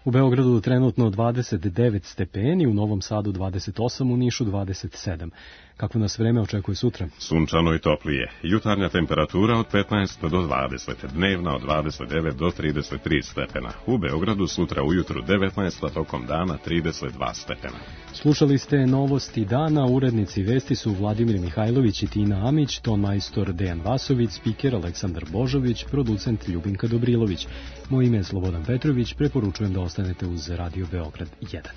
U Beogradu trenutno dvadeset devet stepeni, u Novom Sadu dvadeset osam, u Nišu dvadeset sedam. Kako nas vreme očekuje sutra? Sunčano i toplije. Jutarnja temperatura od petnaest do dvadeset, dnevna od dvadeset devet do trideset tri stepena. U Beogradu sutra ujutru devetnaest, a tokom dana trideset dva stepena. Slušali ste novosti dana, urednici vesti su Vladimir Mihajlović i Tina Amić, ton majstor Dejan Vasović, spiker Aleksandar Božović, producent Ljubinka Dobrilović. Moje ime je Slobodan Petrović, preporučujem da ostanete uz Radio Beograd jedan.